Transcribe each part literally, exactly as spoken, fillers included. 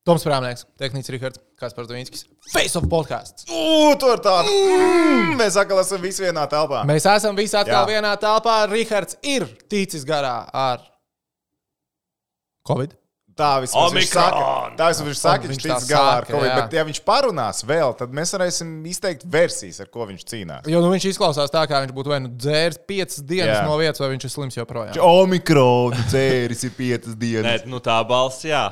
Toms Prāmnieks, tehnicis Rihards, Kaspars Dvīnskis. Face of podcasts. Ū, tur tāda. Mm, mēs atkal esam visi vienā telpā. Mēs esam visi atkal Jā. vienā telpā. Rihards ir ticis garā ar Covid. Tā vismaz viņš saka. Omikron! Tā vismaz viņš saka, Viņš viņš tā tic galā ar saka, Covid. jā. Bet ja viņš parunās vēl, tad mēs varēsim izteikt versijas, ar ko viņš cīnās. Jo nu, viņš izklausās tā, kā viņš būtu vai nu dzēris piecas dienas Jā. no vietas, vai viņš ir slims joprojām. Omikron dzēris ir piecas dienas. Nē, nu tā balss, jā.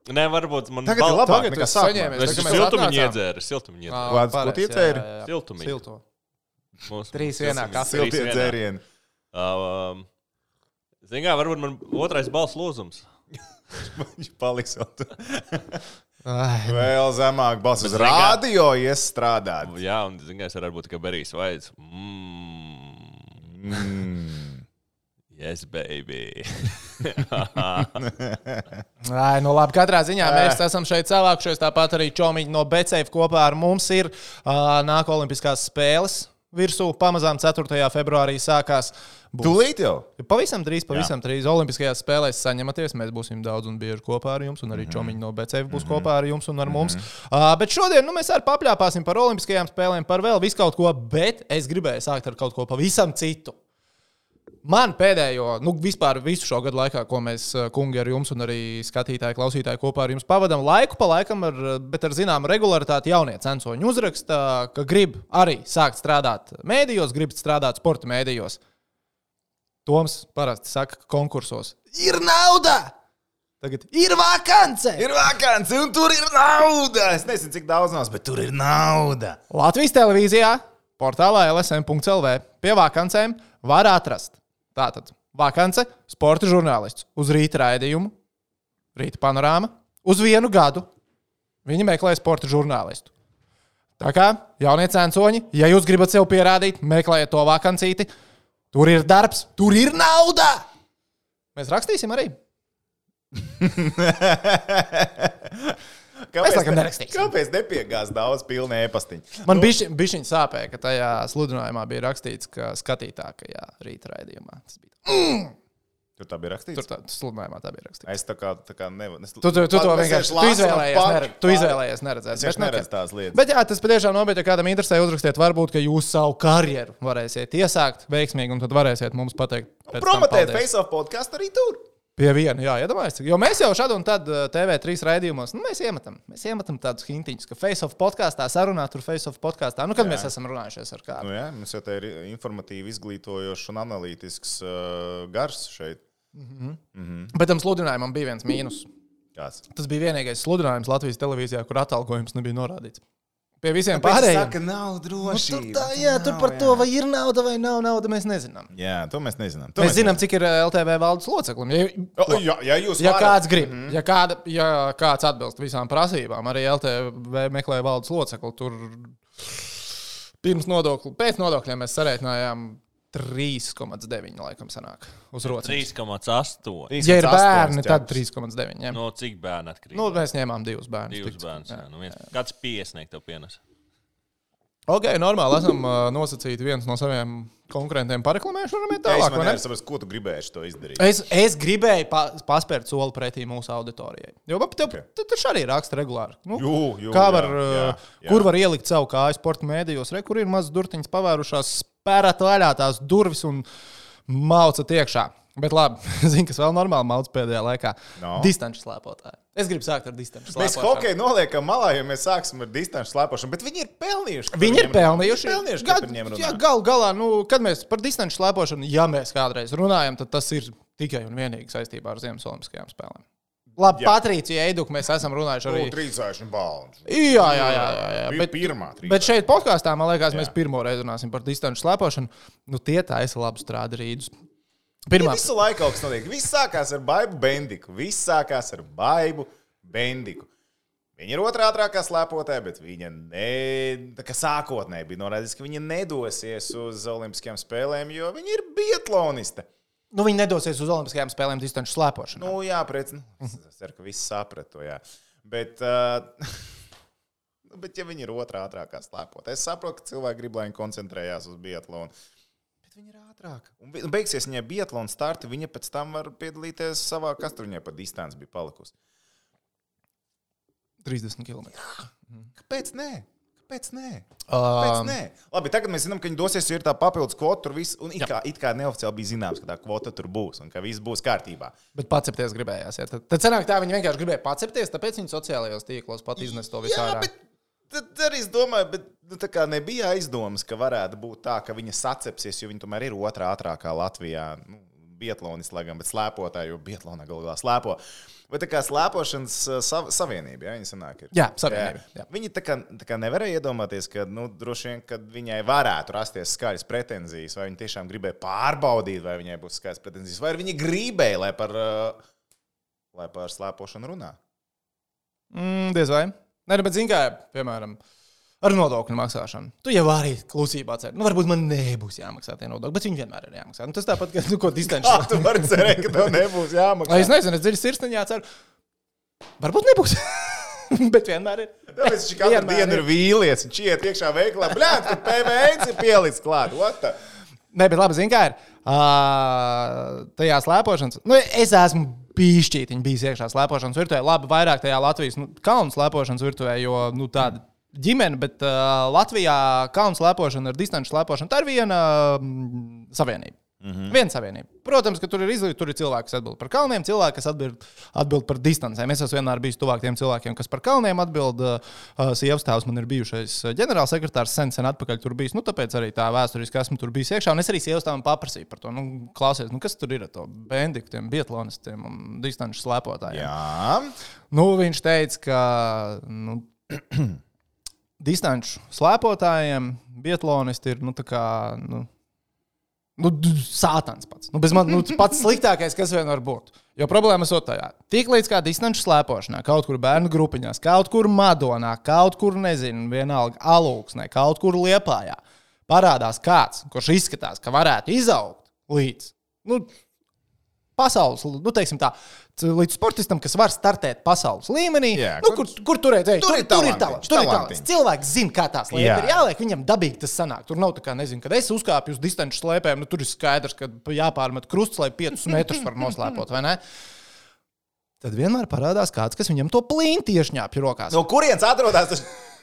Nē, varbūt man Tagad ir labāk Tagad nekā tu sākumā. saņēmies. Es Tagad mēs siltumiņu atnācām. iedzēru, siltumiņu iedzēru. Kāds pareizi, būtu iedzēri? jā, jā, jā. Siltumiņu. Silto. Mūsu- Trīs mūsu vienā siltumiņu. kafē. Siltie Trīs vienā. dzērieni. Um, Zini kā, varbūt man otrais balss lūzums. Viņš paliks vēl tur. Ai, Vēl zemāk balss uz Bet zini kā- radio iestrādāt. Jā, un zini kā, es varētu būt tikai Berijs Vaids. Mm. Mm. Yes, baby. Ai, nu labi, katrā ziņā mēs esam šeit savākušies. Tāpat arī Čomiņi no Betsafe kopā ar mums ir uh, nāk olimpiskās spēles virsū. Pamazām ceturtajā februārī sākās. Būs. Tūlīt jau. Pavisam drīz, pavisam drīz olimpiskajās spēlēs saņematies. Mēs būsim daudz un bieži kopā ar jums, un arī Čomiņi no Betsafe būs kopā ar jums un ar mums. Uh, bet šodien nu, mēs arī papļāpāsim par olimpiskajām spēlēm, par vēl visu kaut ko, bet es gribēju sākt ar kaut ko pavisam citu. Man pēdējo, nu vispār visu šo gadu laikā, ko mēs, kungi, ar jums un arī skatītāji, klausītāji kopā ar jums pavadām, laiku pa laikam, ar, bet ar zināmu regularitāti jaunie censoņi uzraksta, ka grib arī sākt strādāt mēdījos, grib strādāt sporta mēdījos. Toms parasti saka, ka konkursos ir nauda! Tagad ir vakance! Ir vakants, un tur ir nauda. Es nezinu, cik daudz nav, bet tur ir nauda. Latvijas televīzijā, portālā L S M punkts L V pie vakancēm var atrast. Tātad vakance, sporta žurnālists uz rīta raidījumu, rīta panorāma, uz vienu gadu. Viņi meklē sporta žurnālistu. Tā kā jaunie censoņi, ja jūs gribat sev pierādīt, meklējiet to vakancīti. Tur ir darbs, tur ir nauda! Mēs rakstīsim arī. Kāpēc, Mēs laikam ne- nerakstīsim. kāpēc nepiegās daudz pilni e-pastiņu? Man bišķi, bišķiņ sāpēja, ka tajā sludinājumā bija rakstīts, ka skatītākajā rīta raidījumā. Tas bija. Tur tā bija rakstīts? Tur tā sludinājumā tā bija rakstīts. Es tā kā, tā kā nevaru. Tu, tu, tu to vienkārši tu izvēlējies, neredz, tu izvēlējies neredzēt. Es vienkārši Bet, nu, neredzu tās lietas. Bet jā, tas patiešām nopietni, ja kādam interesē, uzrakstiet, varbūt, ka jūs savu karjeru varēsiet iesākt veiksmīgi, un tad varēsiet mums pateikt. pēc tam Promotēt paldies. Face of podcastu arī tur. Pie viena, jā, iedomājieties. Jo mēs jau šad un tad T V trīs raidījumos, nu, mēs iemetam, mēs iemetam tādus hintiņus, ka Face of podkāstā sarunā, tur Face of podkāstā. Nu, kad jā. Mēs esam runājušies ar kādu. Nu, jā, mums jau te ir informatīvi, izglītojošs un analītisks uh, gars šeit. Mm-hmm. Mm-hmm. Bet tam sludinājumam bija viens mīnus. Kāds? Tas bija vienīgais sludinājums Latvijas televīzijā, kur atalgojums nebija norādīts. Pie visiem Tāpēc pārējiem. saka, nav drošība. Nu, tur tā, jā, tur par to, vai ir nauda vai nav nauda, mēs nezinām. Jā, to mēs nezinām. To Mēs zinām, cik ir L T V valdes loceklim. Ja, O, jā, ja jūs ja varat. kāds grib, mm-hmm. ja, kāda, ja kāds atbilst visām prasībām, arī L T V meklē valdes locekli, tur pirms nodokļu, pēc nodokļiem mēs sarēķinājām trīs komats deviņi laikam sanāk uz rokas. trīs komats astoņi. Ja ir bērni, tad trīs komats deviņi. No cik bērni atkarīgi? Nu, mēs ņēmām divus bērnus. Divus tik- bērnus. jā. Jā. Nu, viens. Kāds piesniegt tev pienes? Ok, normāli esam uh, nosacīti viens no saviem konkurentiem pareklamējuši. Varam iet Jā, es tālāk, man vai ne? nevaru saprast, ko tu gribēji to izdarīt. Es, es gribēju pa, paspērt soli pretī mūsu auditorijai. Jo tev Okay. okay. taču arī raksta regulāri. Nu, Jū, jū, kā jā, var, jā, uh, jā. kur var ielikt savu kāju sporta mēdījos? Re, kur ir mazas durtiņas pavērušās, spērēt vaļā tās durvis un maucat iekšā. Bet labi, zinu, kas vēl normāli mauc pēdējā laikā. No. Distanču slēpotāji. Es gribu sākt ar distanču Mēs slēpošanu. hokeju noliekam malā, ja mēs sāksim ar distanču slēpošanu, bet viņi ir pelnījuši. ka Viņi ir par viņiem- pelnījuši. Viņi ir pelnījuši, ka Gad- par viņiem runā. jā, gal galā, nu, kad mēs par distanču slēpošanu, ja mēs kādreiz runājam, tad tas ir tikai un vienīgi saistībā ar Ziemas Olimpiskajām spēlēm. Labi, Jā. Patricija Eiduka, mēs esam runājuši arī. Nu, trīsājuši balns. Jā, jā, jā. jā, jā. Bija Bet, pirmā trīsāši. bet šeit podkāstā, man liekas, Jā. mēs pirmo reizi runāsim par distanču slēpošanu. Nu, tie taisa labu strādu rīdus. Ja Pirmā. visu laiku kaut kas notiek. Viss sākās ar Baibu Bendiku. Viss sākās ar Baibu Bendiku. Viņa ir otrā ātrākā slēpotāja, bet viņa ne, tā kā sākotnēji bija norādīts, ka viņa nedosies uz Olimpiskajām spēlēm, jo viņa ir biatloniste. Nu, viņi nedosies uz Olimpiskajām spēlēm distanču slēpošanu. Nu, jā, prec, nu, es ceru, ka visi saprat to, jā. Bet, uh, nu, bet ja viņa ir otrā ātrākā slēpotāja, es saprotu, ka cilvēki grib, lai viņi koncentrējās uz biatlonu. Viņa ir ātrāka. Un be- beigsies viņai biatlona starti, viņa pēc tam var piedalīties savā, kas tur viņai pa distanci bija palikusi. trīsdesmit kilometri. Kāpēc nē? Kāpēc nē? Um, Kāpēc nē? Labi, tagad mēs zinām, ka viņi dosies, jo ir tā papildus kvota tur viss, un it kā, it kā neoficiāli bija zināms, ka tā kvota tur būs un ka viss būs kārtībā. Bet pacepties gribējās. Ja? Tad, tad sanāk tā, viņi vienkārši gribēja pacepties, tāpēc viņi sociālajos tīklos pat iznes to visu Jā, ārā. bet tad arī es domāju, bet nu, tā kā nebija aizdomas, ka varētu būt tā, ka viņa sacepsies, jo viņa tomēr ir otrā ātrākā Latvijā. Nu, biatlonis, lai gan, bet slēpotāji, jo biatlonā galvā slēpo. Vai tā kā slēpošanas sav, savienība, ja viņi sanāk ir? Jā, savienība. Jā. Jā. Viņi tā kā, tā kā nevarēja iedomāties, ka, nu, droši vien, kad viņai varētu rasties skaļas pretenzijas, vai viņi tiešām gribēja pārbaudīt, vai viņai būs skaļas pretenzijas, vai viņi gribēja, lai par, lai par slēpošanu runā. Mm, diez vai. Nē, bet zin kā, piemēram, ar nodokļu maksāšanu. Tu jau arī klusībā cer. Nu, varbūt man nebūs jāmaksā tie nodokļi, bet viņi vienmēr ir jāmaksā. Nu, tas tāpat, ka, nu, ko distanci. Kā tu vari cerēt, ka tev nebūs jāmaksā? Es nezinu, es dziļi sirsniņā ceru. Varbūt nebūs. Bet vienmēr ir. Tāpēc viņš katru Vienmēr dienu ir vīlies. Viņš iet iekšā veiklā. Bļāt, ka P V N ir pielicis klāt. What the? Nē, bet labi, zin kā ir. Uh, tajā slēpošanas. Nu, es esmu pīšķītiņi bijis iekšā slēpošanas virtuvē. Labi, vairāk tajā Latvijas nu, kalnu slēpošanas virtuvē, jo nu, tāda ģimene, bet uh, Latvijā kalnu slēpošana ar distanču slēpošanu, tā ir viena mm, savienība. Mm-hmm. Viena savienība. Protams, ka tur ir izlīdz, tur ir cilvēki, kas atbild par kalniem, cilvēki, kas atbild, atbild par distancēm. Es esmu vienmēr bijis tuvāk tiem cilvēkiem, kas par kalniem atbild. Uh, sievas tēvs man ir bijušais ģenerālsekretārs, sen, sen atpakaļ tur bijis. Nu, tāpēc arī tā vēsturiski esmu tur bijis iekšā. Un es arī sievas tēvam paprasīju par to. Nu, klausies, nu, kas tur ir ar to bendiku, tiem biatlonistiem un distanču slēpotājiem. Jā. Nu, viņš teica, ka nu, distanču slēpotājiem biatlonisti ir, nu, tā kā, nu, Nu, sātans pats. Nu, man, nu, pats sliktākais, kas vien var būt. Jo problēma ir tajā. Tik līdz kā distanču slēpošanā, kaut kur bērnu grupiņās, kaut kur Madonā, kaut kur, nezinu, vienalga Alūksnē, kaut kur Liepājā, parādās kāds, kurš izskatās, ka varētu izaugt līdz, nu, pasaules, nu, teiksim tā, līdz sportistam, kas var startēt pasaules līmenī, Jā, nu, kur, kur, kur turēt, ej, tur, tur, ir tur ir talantiņš, talants. Tur ir talants. talantiņš. Cilvēks zina, kā tās lietas Jā. ir jāliek, viņam dabīgi tas sanāk. Tur nav tā kā, nezinu, kad es uzkāpju uz distanču slēpēm, nu, tur ir skaidrs, ka jāpārmet krusts, lai piecus metrus var noslēpot, vai ne? Tad vienmēr parādās kāds, kas viņam to plinti iešņāpj rokās. No kurienes atrodas tas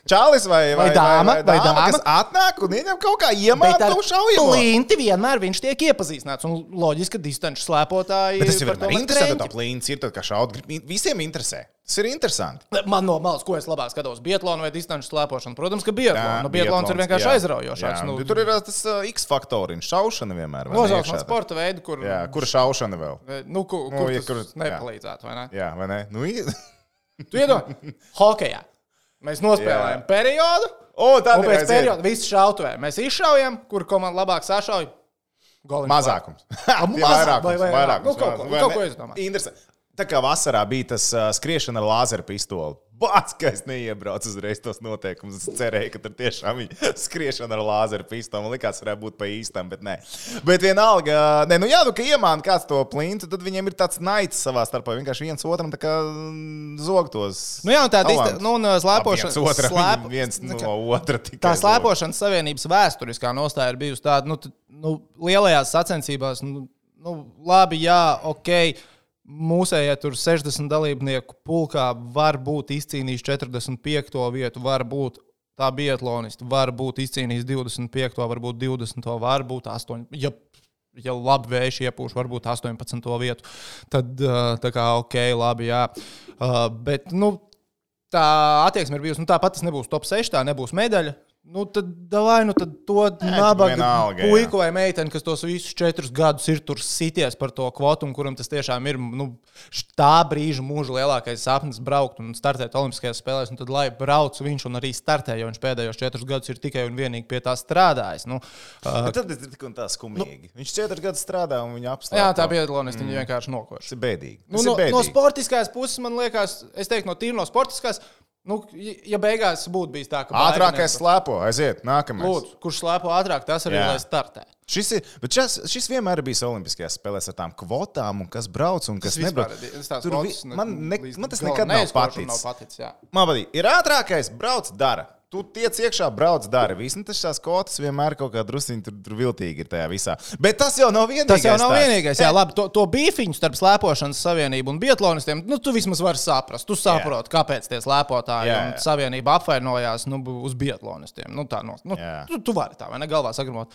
čalis vai, vai, Vai dāma, vai, vai, vai dāma, dāma. kas atnāk un viņam kaut kā Bet iemāta ar to šaujamo? plinti vienmēr viņš tiek iepazīstināts. Un loģiski, ka distanču slēpotāji Bet tas ir par to vienmēr man interesanti, kreņķi. tā plints ir tad, kā šaut. Visiem interesē. Tas ir interesanti. Man no malas, ko es labāk skatos, biatlonu vai distanču slēpošanu. Protams, ka biatlonu. Nu, biatlons ir vienkārši jā. aizraujošāks. Jā, Nu, tur ir tas uh, X-faktoriņš, šaušana vienmēr. vai ne, Nosauc iekšā man tā? sporta veidu, kur, Jā, kura šaušana vēl? nu, kur, Nu, kur ja tas kur- jā. nepalīdzētu, vai ne? Jā, vai ne? Nu, i- Tu iedomā, hokejā. Mēs nospēlējam Jā. periodu, o, tad un ir pēc aiziet. perioda visi šautuvē. Mēs izšaujam, kur komanda labāk sašauj. Goliņš Mazākums. A, Tie mazāk vairākums, vai vairāk? vairākums, Nu, kaut ko- vai kaut ne? ko izdomāt. Interesanti. Tā kā vasarā bija tas uh, skriešana ar lāzeru pistoli. Bāc, ka es neiebraucu uzreiz tos noteikumus. Es cerēju, ka tur tiešām bija skriešana ar lāzeru pistoli. Man likās, varētu būt pa īstam, bet nē. Bet vienalga, nē, nu jā, nu, ka iemāna kāds to plintu, tad viņiem ir tāds naids savā starpā. Vienkārši viens otram tā kā mm, zog tos. Nu jā, un tā talantus. dista- nu, un, uh, slēpošana- Ap viens otram, slēp- viens nu, no kā- otra tikai Tā zog. slēpošanas savienības vēsturiskā nostāja ir bijusi tāda, nu, t- nu lielajās sacensībās, nu, nu labi, jā, ok. Mūsējā tur sešdesmit dalībnieku pulkā var būt izcīnījis četrdesmit piekto vietu, var būt tā biatlonisti, var būt izcīnījis divdesmit piekto, varbūt divdesmito, var būt astoņdesmit. Ja, ja labi vējš iepūš, varbūt astoņpadsmito vietu. Tad uh, tā kā ok, labi, jā. Uh, bet, nu, tā attieksme ir bijusi, nu tāpat tas nebūs top seši, tā nebūs medaļa. Nu, tad, davai, nu, tad to nabaga vienalga, puiku vai meiteni, kas tos visus četrus gadus ir tur sities par to kvotu, un kuram tas tiešām ir nu, tā brīža mūža lielākais sapnis braukt un startēt Olimpiskajās spēlēs, un tad lai brauc viņš un arī startē, jo viņš pēdējos četrus gadus ir tikai un vienīgi pie tā strādājis. Nu, uh, Bet tad ir tik un tā skumīgi. Nu, viņš četrus gadus strādā un viņa apstākļi. jā, tā biatlonisti mm. vienkārši nokoši. Tas ir bēdīgi. Nu, Tas no, ir bēdīgi. no sportiskās puses man liekas, es teiktu, no tīri no sportiskās, nu, ja beigās būtu bijis tā, ka Ātrākais slēpo, aiziet, nākamais. Lūdzu, kurš slēpo ātrāk, tas arī Jā. lai startē. Šis, ir, bet šis, šis vienmēr ir bijis Olimpiskajās spēlēs ar tām kvotām, un kas brauc un kas nebrauc. Tur Tur vi- man, ne, man tas nekad nav paticis. Nav paticis jā. Man patīk, ir ātrākais, brauc, dara. tu tiec iekšā, brauc, dari. Viss, nu tas šās kvotas vienmēr kaut kā drusciņi tur, tur viltīgi ir tajā visā. Bet tas jau nav vienīgais. Tas jau nav vienīgais. Jā, labi, to, to bīfiņu starp slēpošanas savienību un biatlonistiem, nu, tu vismaz vari saprast. Tu saproti, kāpēc tie slēpotāji jā, jā. un savienība apvainojās nu, uz biatlonistiem. Nu, tā, no, nu, tu, tu vari tā, vai ne, galvā sagramot.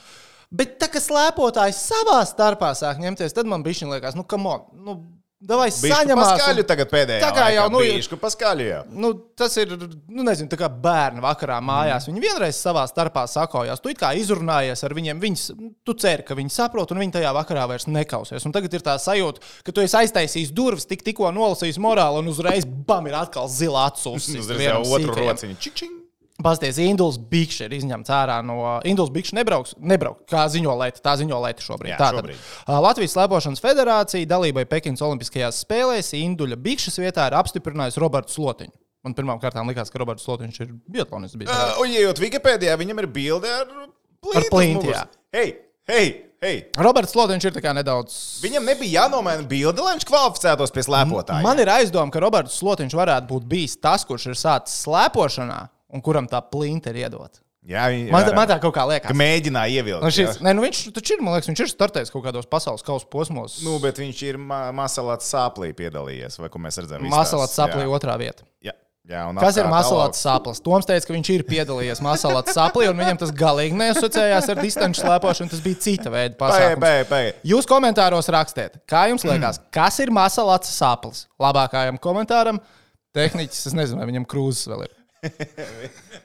Bet tā, ka slēpotāji savā starpā sāk ņemties, tad man bišķiņ liekas, nu, come on, nu, davai saņemās. Paskaļu tagad pēdējā tā kā jau, nu, bišku paskaļu jau. Nu, tas ir, nu, nezinu, tā kā bērni vakarā mājās. Mm. Viņi vienreiz savā starpā sakojās. Tu it kā izrunājies ar viņiem, viņas, tu ceri, ka viņi saprot, un viņi tajā vakarā vairs nekausies. Un tagad ir tā sajūta, ka tu esi aiztaisījis durvis, tik tikko nolasījis morāli, un uzreiz, bam, ir atkal zila atsūs. Uzreiz jau otru rociņu. Čik, čik. Pasties, Induls Bikšs ir izņemts ārā no... Induls Bikšs nebrauks, nebrauks, kā ziņo Leta, tā ziņo Leta šobrīd. Jā, Tātad, šobrīd. Latvijas slēpošanas federācija dalībai Pekinas olimpiskajās spēlēs Induļa Bikšas vietā ir apstiprinājusi Robertu Slotiņu. Man pirmām kārtām likās, ka Roberts Slotiņš ir biatlonists. Uh, un, ejot Wikipēdijā, viņam ir bilde ar plintu. Ar plintu, jā. Hei, hei, hei. Roberts Slotiņš ir tā kā nedaudz... Viņam nebija jānomaina bilde, lai viņš kvalificētos pie slēpotāja. Man ir aizdoma, ka Roberts Slotiņš varētu būt bijis tas, kurš ir sācis slēpošanā. Un kuram tā plinta ir iedot. Jā, viņi, man, tā, man tā kaut kā liekas. Ka mēģināja ievilkt. Šis, ne, nu viņš taču ir, man liekas, viņš ir startējis kaut kādos pasaules kausa posmos. Nu, bet viņš ir ma Masalats Sāplī piedalījies, vai ko mēs redzam? Masalats Sāplī otrā vieta. Jā. Jā, kas ir Masalats Sāplis? Toms teica, ka viņš ir piedalījies Masalats Sāplī, un viņam tas galīgi neasociējās ar distanču slēpošanu, tas bija cita veida pasākums. Pēc, pēc. Jūs komentāros rakstiet, kā jums liekas, kas ir Masalats Sāplis? Labākajam komentāram tehniķis, es nezinu, vai viņam krūzes vēl ir.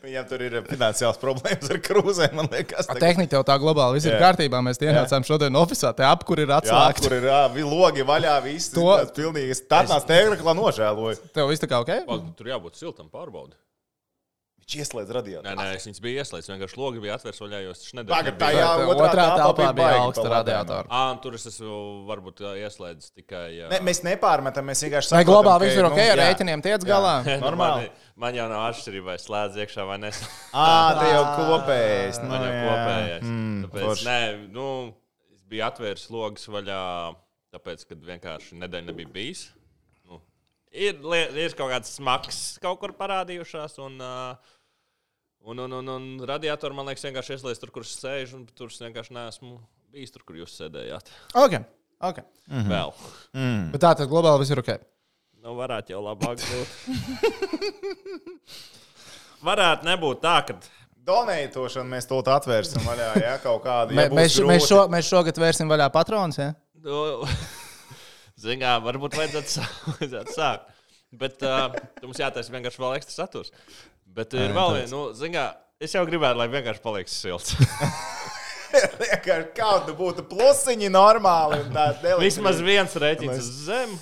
Viņam tur ir finansiāls problēmas ar krūzēm, man liekas. Tehnika jau tā globāli, viss ir kārtībā. Mēs ienācām šodien oficiālā, te apkur ir atslēgta. Jā, apkur ir jā, logi vaļā, viss to... tas pilnīgi. Tādās tēkla nožēloju. Tev viss tā kā ok? Tur jābūt siltam pārbaudi. Viņš ieslēdz radiatoru. Nē, nē, es viņas biju ieslēdz, vienkārši logi bija atvērts vaļā, jo es taču nedēļu. Tagad tā jā, otrā, otrā telpā bija augsta radiatora. Ā, un tur es esmu varbūt ieslēdzis tikai... Jā. Ne, mēs nepārmetam, mēs vienkārši saprotam, vai globāli viss ir ok, ar rēķiniem tiec galā? Normāli. Man, man jau nav atšķirība, vai slēdz iekšā vai neslēdz. Ā, te jau kopējais. Man jau kopējais. Mm, tāpēc, nē, nu, es biju atvērs logas vaļā, tāpēc, kad vienkārši nedēļa nebija bijis. Nu, ir, ir kaut kāds smags kaut kur parādījušās, un... Uh, Un, un, un, un radiatori, man liekas, vienkārši ieslēdz tur, kur es sēžu, un tur es vienkārši neesmu bijis tur, kur jūs sēdējāt. Ok, ok. Mm-hmm. Vēl. Mm. Bet tā tad globāli viss ir ok. Nu, varētu jau labāk būt. Varētu nebūt tā, ka... Donētošanu mēs to atvērsim vaļā, ja kaut kādu. Ja mēs, mēs, šo, mēs šogad vērsim vaļā patronas, ja? Nu, zin kā, varbūt vajadzētu, vajadzētu sākt. Bet uh, mums jātaisa vienkārši vēl ekstra saturs. Bet ir vēl viena, nu, zin kā, es jau gribētu, lai vienkārši paliks silts. Vienkārši kādu būtu plusiņi normāli. Vismaz viens rēķins uz zem.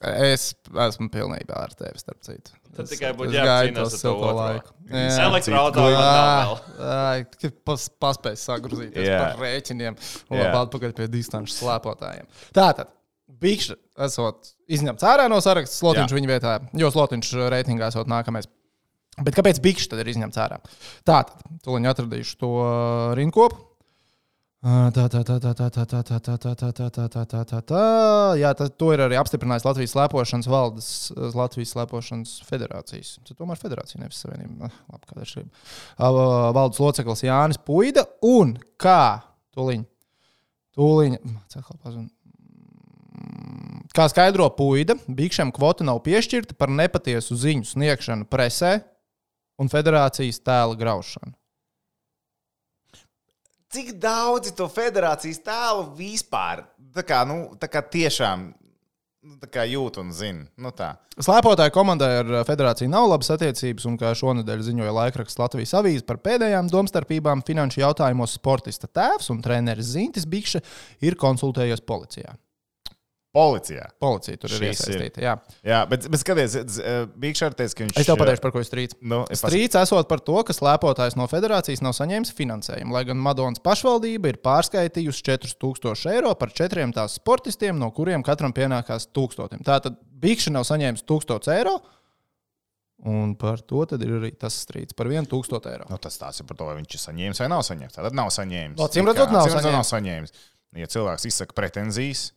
Es esmu pilnībā ar tevi, starp citu. Tad tikai būtu jācīnās ar to laiku. Elektroautorāta vēl. Tikai pas, paspēj sagrozīties yeah. par rēķiniem un yeah. labi atpakaļ pie distanču slēpotājiem. Tātad, Bikšs esot izņemts ārā no saraksta, Slotiņš yeah. viņa vietā, jo Slotiņš reitingā esot nākamais. Bet kāpēc Bikšs tad ir izņemts ārā? Tātad, tūliņ atradīšu to rindkopu. Tā, tā, tā, tā, tā, tā, tā, tā, tā, tā, tā, tā, tā, tā, tā, tā. Jā, tas, to ir arī apstiprinājis Latvijas slēpošanas valdes, Latvijas slēpošanas federācijas. Tas tomēr federācija, nevis savienība. Labi, kāda ir šība. Valdes loceklis Jānis Puida un kā tūliņ, tūliņ, kā skaidro Puida, Bikšam kvota nav piešķirta par nepatiesu ziņu sniegšanu presē un federācijas tēla graušanu. Cik daudzi to federācijas tēlu vispār tā kā, nu, tā kā tiešām tā kā jūt un zina? Nu tā. Slēpotāju komandai ar federāciju nav labas attiecības, un kā šonedēļ ziņoja laikraksts Latvijas avīze par pēdējām domstarpībām finanšu jautājumos sportista tēvs un treneris Zintis Bikša ir konsultējies policijā. Policijā. Policija tur ir iesaistīta, jā. Jā, bet, bet skaties, Bikšs ar teica, ka viņš... Es tev pateikšu, par ko ir strīds. Nu, strīds esot par to, ka slēpotājs no federācijas nav saņēmis finansējumu, lai gan Madonas pašvaldība ir pārskaitījusi četrus tūkstošus eiro par četriem tās sportistiem, no kuriem katram pienākās tūkstotim. Tātad Bikšs nav saņēmis tūkstots eiro, un par to tad ir arī tas strīds par vienu tūkstotu eiro. Nu, tas tās ir par to, vai viņš ir saņēmis vai nav saņēmis. Tātad nav saņēmis. Acīm redzot, nav saņēmis. nav saņēmis. Ja cilvēks izsaka pretenzijas,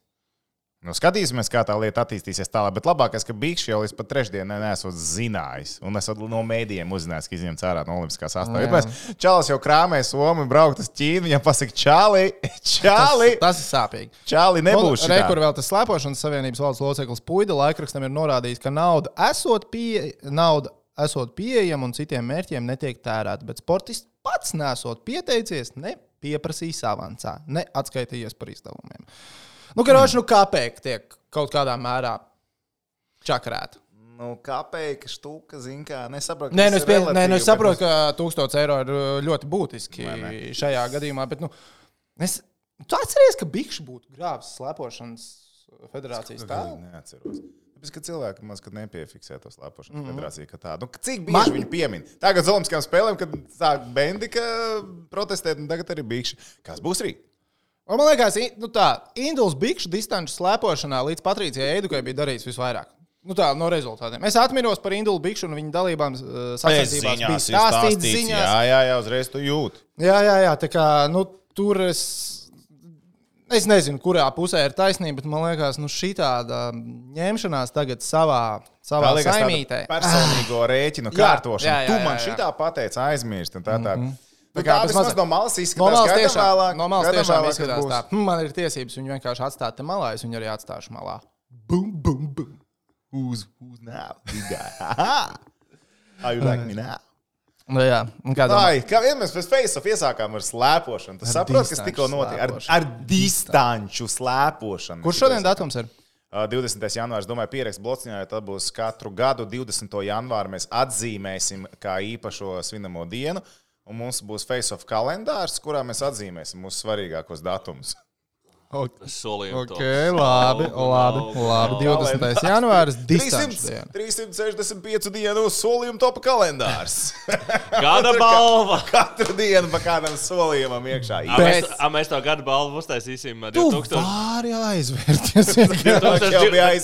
Nu, skatīsimies, kā tā lieta attīstīsies tālāk. Bet labākais, ka Bikšs jau līdz pat trešdienai nesot zinājis. Un esot no mēdījiem uzzinājis, ka izņemts ārā no olimpiskās sastāvdaļas. Čalis jau krāmē Somu, braukt uz Ķīnu. Viņam pasaka, Čali, Čali. Tas, tas ir sāpīgi. Čali nebūs šitā. Rekur vēl tas slēpošanas savienības valdes loceklis Puida laikrakstam ir norādījis, ka nauda esot, pie, nauda esot pieejama un citiem mērķiem netiek tērēta. Bet sportists pats nesot pieteicies, ne pieprasījis avansā, ne atskaitījies par izdevumiem. Nu, karoči, nu, kāpēk tiek kaut kādā mērā čakarēta. Nu, kāpēk, štuka, zin kā, nesaprotu. Nē, nu, es, pie, nē, nu, es saprotu, ka tūkstots eiro ir ļoti būtiski šajā gadījumā, bet, nu, es, tu atceries, ka Bikšs būtu grāvis slēpošanas federācijas tēlu? Neatceros. Tāpēc, ka cilvēki maz, kad nepiefiksē to slēpošanas mm-hmm. federāciju, ka tādu. Nu, cik bieži Man... viņu piemin? Tagad uz olimpiskām spēlēm, kad sāk Bendika protestēt, un tagad arī Bikšs. Kas būs rīt? Man liekas, nu tā, Induls Bikšu distanču slēpošanā līdz Patricijai Eidukai bija darīts visvairāk. Nu tā, no rezultātiem. Es atminos par Indulu Bikšu un viņa dalībām uh, sacensībās. Bija stāstīts ziņās. Jā, jā, jā, uzreiz tu jūti. Jā, jā, jā, tā kā, nu, tur es, es nezinu, kurā pusē ir taisnība, bet man liekas, nu, šitāda ņemšanās tagad savā, savā saimītē. Personīgo rēķinu kārtošanu. Jā, jā, jā, jā, jā. Tu man šitā pateici aizmirst un tā tā. Mm-hmm. Tā kā tas maz no malas izskatās, no malas tiešām, vēlāk, no malas tiešām vēlāk, izskatās tā. Hm, man ir tiesības viņu vienkārši atstāt te malā, es viņu arī atstāšu malā. Boom, boom, boom. Who's, who's now? Big guy. How you like me now? Nu jā. Ai, kā vienmēr mēs pēc face-off iesākām ar slēpošanu. Tu saproti, kas tikko notiek? Ar, ar distanču slēpošanu. Kurš šodien datums ir? divdesmitais janvārs, domāju, pierakst blociņā, jo tad būs katru gadu divdesmito janvāru mēs atzīmēsim kā īpašo svinamo dienu. Un mums būs face-off kalendārs, kurā mēs atzīmēsim mūsu svarīgākos datumus. Okay, okay labi, labi, labi. divdesmitais janvāris, distanču diena. trīssimt sešdesmit pieci dienu solījumu topa kalendārs. Gada balva. Katru dienu pa kādam solījumam iekšā. A, mēs, a, mēs to gada balvu uztaisīsim tu divtūkstoši. Vari aizvērties.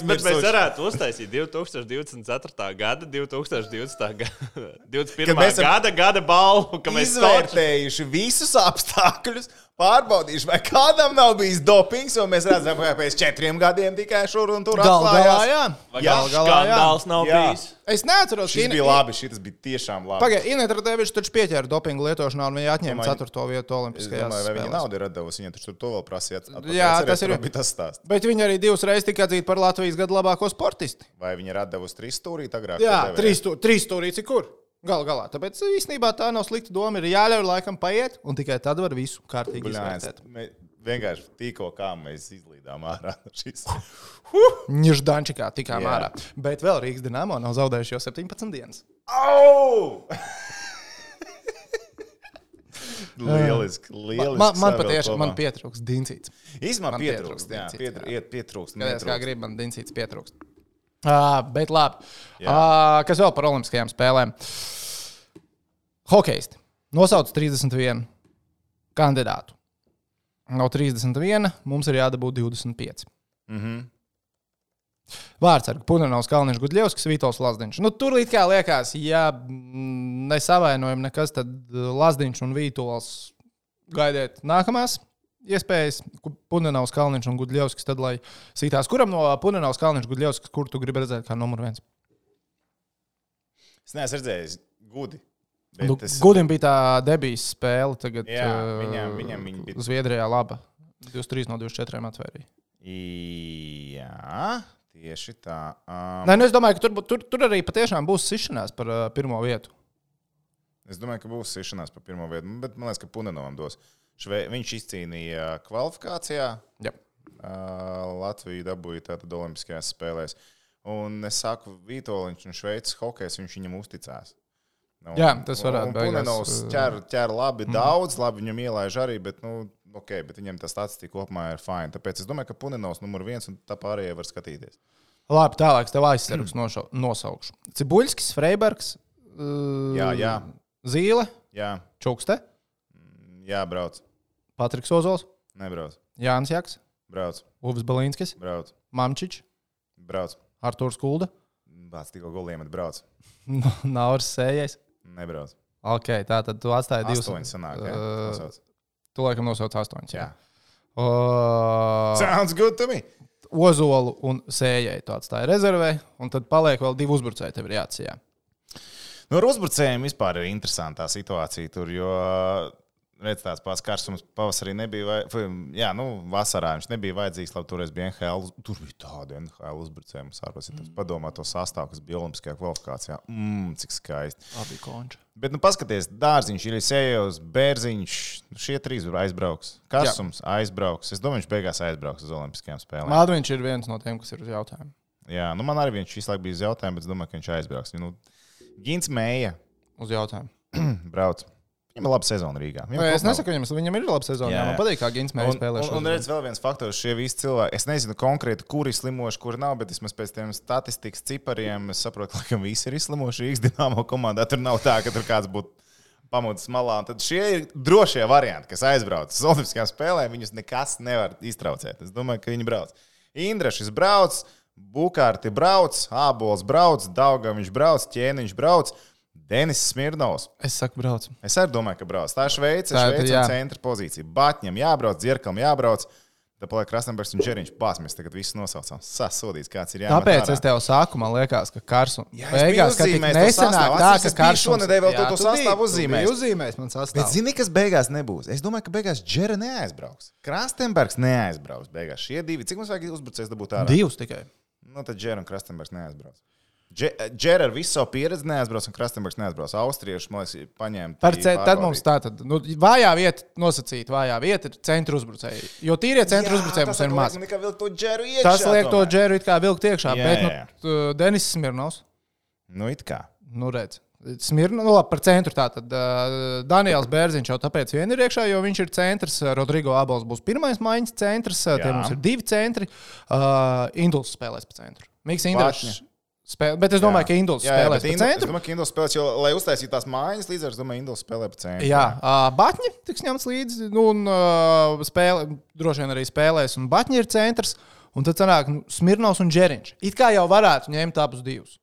Bet mēs varētu uztaisīt divtūkstoši divdesmit ceturtā gada, divtūkstoši divdesmitā gada, divdesmit pirmā gada, gada balvu. Izvērtējuši visus apstākļus. Pārbaudīšu, vai kādam nav bijis dopings, un mēs redzam, ka pēc četriem gadiem tikai šur un tur atklājās. Galā, jā. Vai jā, skandāls nav jā. bijis? Es neatceros, šis bija labi, šis bija tiešām labi. Pagaid, Ineta Radevičs taču pieķēra dopingu lietošanā, un viņa atņēma ceturto vietu olimpiskajās spēlēs. Vai viņa naudu ir atdevusi, viņa taču to vēl prasīja. Jā, tas ir. Bija tas stāsts. Bet viņa arī divas reizes tika atzīta par Latvijas gadu labāko sportisti. Vai viņa ir atdevusi trīs stūrīt agrāk? Jā, trīs stūrīt, kur? Galu galā. Tāpēc īstenībā tā nav slikta doma. Ir jāļauj laikam paiet, un tikai tad var visu kārtīgi izvērtēt. Vienkārši tikko kā mēs izlīdām ārā no šīs. Ņždančikā tikām ārā. Bet vēl Rīgas Dinamo nav zaudējuši jau septiņpadsmit dienas. Au! Lieliski, lieliski. Man, man patiešām man pietrūks Dincīts. Īsumā pietrūkst, jā. Pietr, iet pietrūkst. Kādēļ kā grib, man Dincīts pietrūkst. Uh, bet labi. Uh, kas vēl par olimpiskajām spēlēm? Hokejisti. Nosauc trīsdesmit vienu kandidātu. No trīsdesmit viena mums ir jādabūt divdesmit pieci. Mhm. Vārtsargi Punenovs, Kalniņš, Gudļevskis, Vītols Lazdiņš. Nu, tur it kā liekas, ja nesavainojam nekas, tad Lazdiņš un Vītols gaidiet nākamās iespējas. Punenovs, Kalniņš un Gudļevskis, tad lai sītās. Kuram no Punenovs, Kalniņš, Gudļevskis, kur tu gribi redzēt kā numur viens? Es neesmu redzējis Gudi. Nu, es... Gudim bija tā debijas spēle tagad. Jā, viņam, viņam viņa bija. Zviedrijā laba. divdesmit trīs no divdesmit četriem atvērīja. Jā, tieši tā. Um... Nē, nu es domāju, ka tur, tur, tur arī patiešām būs sišanās par uh, pirmo vietu. Es domāju, ka būs sišanās par pirmo vietu, bet man liekas, ka Punenovam dos. Šve... Viņš izcīnīja kvalifikācijā. Jā. Uh, Latviju dabūja tātad olimpiskajās spēlēs. Un es saku, Vītoliņš un Šveices hokejs, viņš viņam uzticās. Un, jā, tas varētu būt. Punenovs ķer, ķer labi mm. daudz, labi viņam ielaiž arī, bet, nu, ok, bet viņam tā statistika kopumā ir fine. Tāpēc es domāju, ka Punenovs numur viens un tā pārējie var skatīties. Labi, tālāk tev aizsargs mm. nosaukšu. Cibuļskis, Freibergs, uh, jā, jā. Zīle, jā. Čukste. Jā, brauc. Patriks Ozols. Nebrauc. Jānis Jaks. Brauc. Uvis Balīnskis. Brauc. Mamčič. Brauc. Artūrs Kulda. Bāc tikko goliem, bet brauc. Nauris Sējais. Nebrauc. Ok, tā tad tu atstāji divus. Astoņi sanāk, jā. Uh, tu laikam nosauc astoņus. Jā. Uh, Sounds good to me. Ozolu un Sējai tu atstāji rezervē, un tad paliek vēl divi uzbrucēji tev ir jāatsijā. Nu, ar uzbrucējiem vispār ir interesantā situācija tur, jo, redz, tāds pats karsums pavasarī nebija, vai, jā, nu, vasarā viņš nebija vajadzīgs, labi, toreiz bija N H L, tur bija tāda N H L uzbrucēja, mums ārpēc, ja tas padomā to sastāvu, kas bija olimpiskajā kvalifikācijā, mmm, cik skaisti. Abi konči. Bet, nu, paskaties, Dārziņš, Ilisējos, Bērziņš, šie trīs aizbrauks, Karsums jā. aizbrauks, es domāju, viņš beigās aizbrauks uz olimpiskajām spēlēm. Mādviņš ir viens no tiem, kas ir uz jautājumu. Jā, nu, man arī viņš visu laiku bija uz jautājumu, bet es domāju, ka viņš aizbrauks. Nu, Gins Mēja. Uz jautājumu. Brauc. Viņam ir laba sezona Rīgā. Vai, es nesaku, viņam, viņam ir laba sezona. Jā, jā. Man patīk, kā Gins Mēja spēlē. Un, un, un redz vēl viens faktors, šie visi cilvēki. Es nezinu konkrēti, kuri slimoši, kuri nav, bet vismaz pēc tiem statistikas cipariem es saprotu, ka visi ir izslimoši Rīgas Dinamo komandā. Tur nav tā, ka tur kāds būtu pamūcis malā. Un tad šie ir drošie varianti, kas aizbrauc uz olimpiskajām spēlēm. Viņus nekas nevar iztraucēt. Es domāju, ka viņi brauc. Indrašs brauc, Bukārti brauc, Ābols brauc, Daugaviņš brauc, Ķēniņš brauc. Denis Smirnovs. Es saku, brauc. Es arī domāju, ka brauc. Tā ir Šveice, Šveice un centra pozīcija. Batņam jābrauc, Dzirkam jābrauc. Tad paliek Krastenbergs un Džeriņš pās. Mēs tagad visu nosaucām. Sasodīts, kāds ir jāmet Tāpēc ārā. Es tev saku, man liekas, ka Karsum. Jā, es biju uzzīmējis to sastāvu. Tā, es biju šonedēļ vēl to, to sastāvu uzzīmējis. Uzzīmējis man sastāvu. Bet zini, kas beigās nebūs? Es domāju, ka beigās Džera neaizbrauks. Krastenbergs neaizbrauks beigās. Šie divi. Cik mums vajag uzbrucējs dabūt ārā? Divus tikai. Nu, tad Džera un Krastenbergs neaizbrauc. Džera ar visu savu pieredzi neaizbrauc, un Krastenbergs neaizbrauc. Austrieši, man liekas, paņēma. Par ce, tad mums tā tad, nu, vājā vieta, nosacīt, vājā vieta ir centra uzbrucēji. Jo tīrie centra uzbrucēji mums ir maz. Iekšā, tas liek to Džeru it kā vilkt iekšā, jā, bet, jā. nu, Denis Smirnovs. Nu, it kā. Nu, redz. Smirnovs, nu, labi, par centru tātad. Uh, Daniels Bērziņš jau tāpēc vien ir iekšā, jo viņš ir centrs. Rodrigo Abols būs pirmais maiņas centrs. Jā. Tie mums ir divi centri. Uh, Induls spēlēs pa centru. Miks Indrišs. Spēl... Bet es domāju, jā. Ka Induls jā, jā, spēlēs pa Indul, centru. Es domāju, ka Induls spēlēs, jo, lai uztaisītu tās mājas līdz ar, es domāju, Induls spēlē pa centru. Jā, uh, Batņi tiks ņemts līdzi, nu, un uh, spēlē, droši vien arī spēlēs, un Batņi ir centrs, un tad sanāk nu, Smirnovs un Džeriņš. It kā jau varētu ņemt abus divus.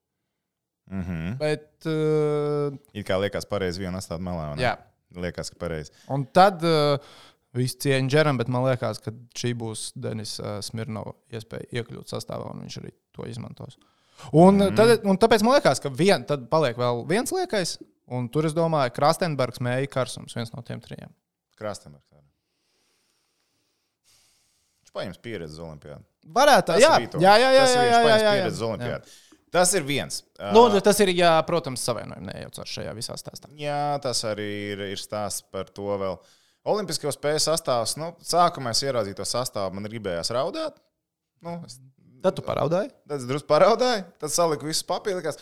Mm-hmm. Bet... Uh, It kā liekas pareizi vienu atstāt malā, vai ne? Jā. Liekas, ka pareizi. Un tad uh, visu cieņu Džeram, bet man liekas, ka šī būs Denis uh, Smirnova iespēja iekļūt sastāvā, un viņš arī to izmantos. Un, mm. tad, un tāpēc man liekas, ka vien, tad paliek vēl viens liekais, un tur es domāju, Krastenbergs, Mēja, Karsums, viens no tiem trijiem. Krastenbergs. Viņš paņems pieredzi uz olimpiādu. Varētu, jā, jā, jā, jā, jā, jā, jā, jā, jā. Tas ir viens. Nu, tas ir, jā, protams, savienojumi nejaucās šajā visā stāstā. Jā, tas arī ir, ir stāsts par to vēl. Olimpisko spēju sastāvs, nu, sākumā es ieraudzīju to sastāvu, man gribējās raudāt. Nu, es Tad tu paraudāji? Tad es drusku paraudāju, tad saliku visus papīrus.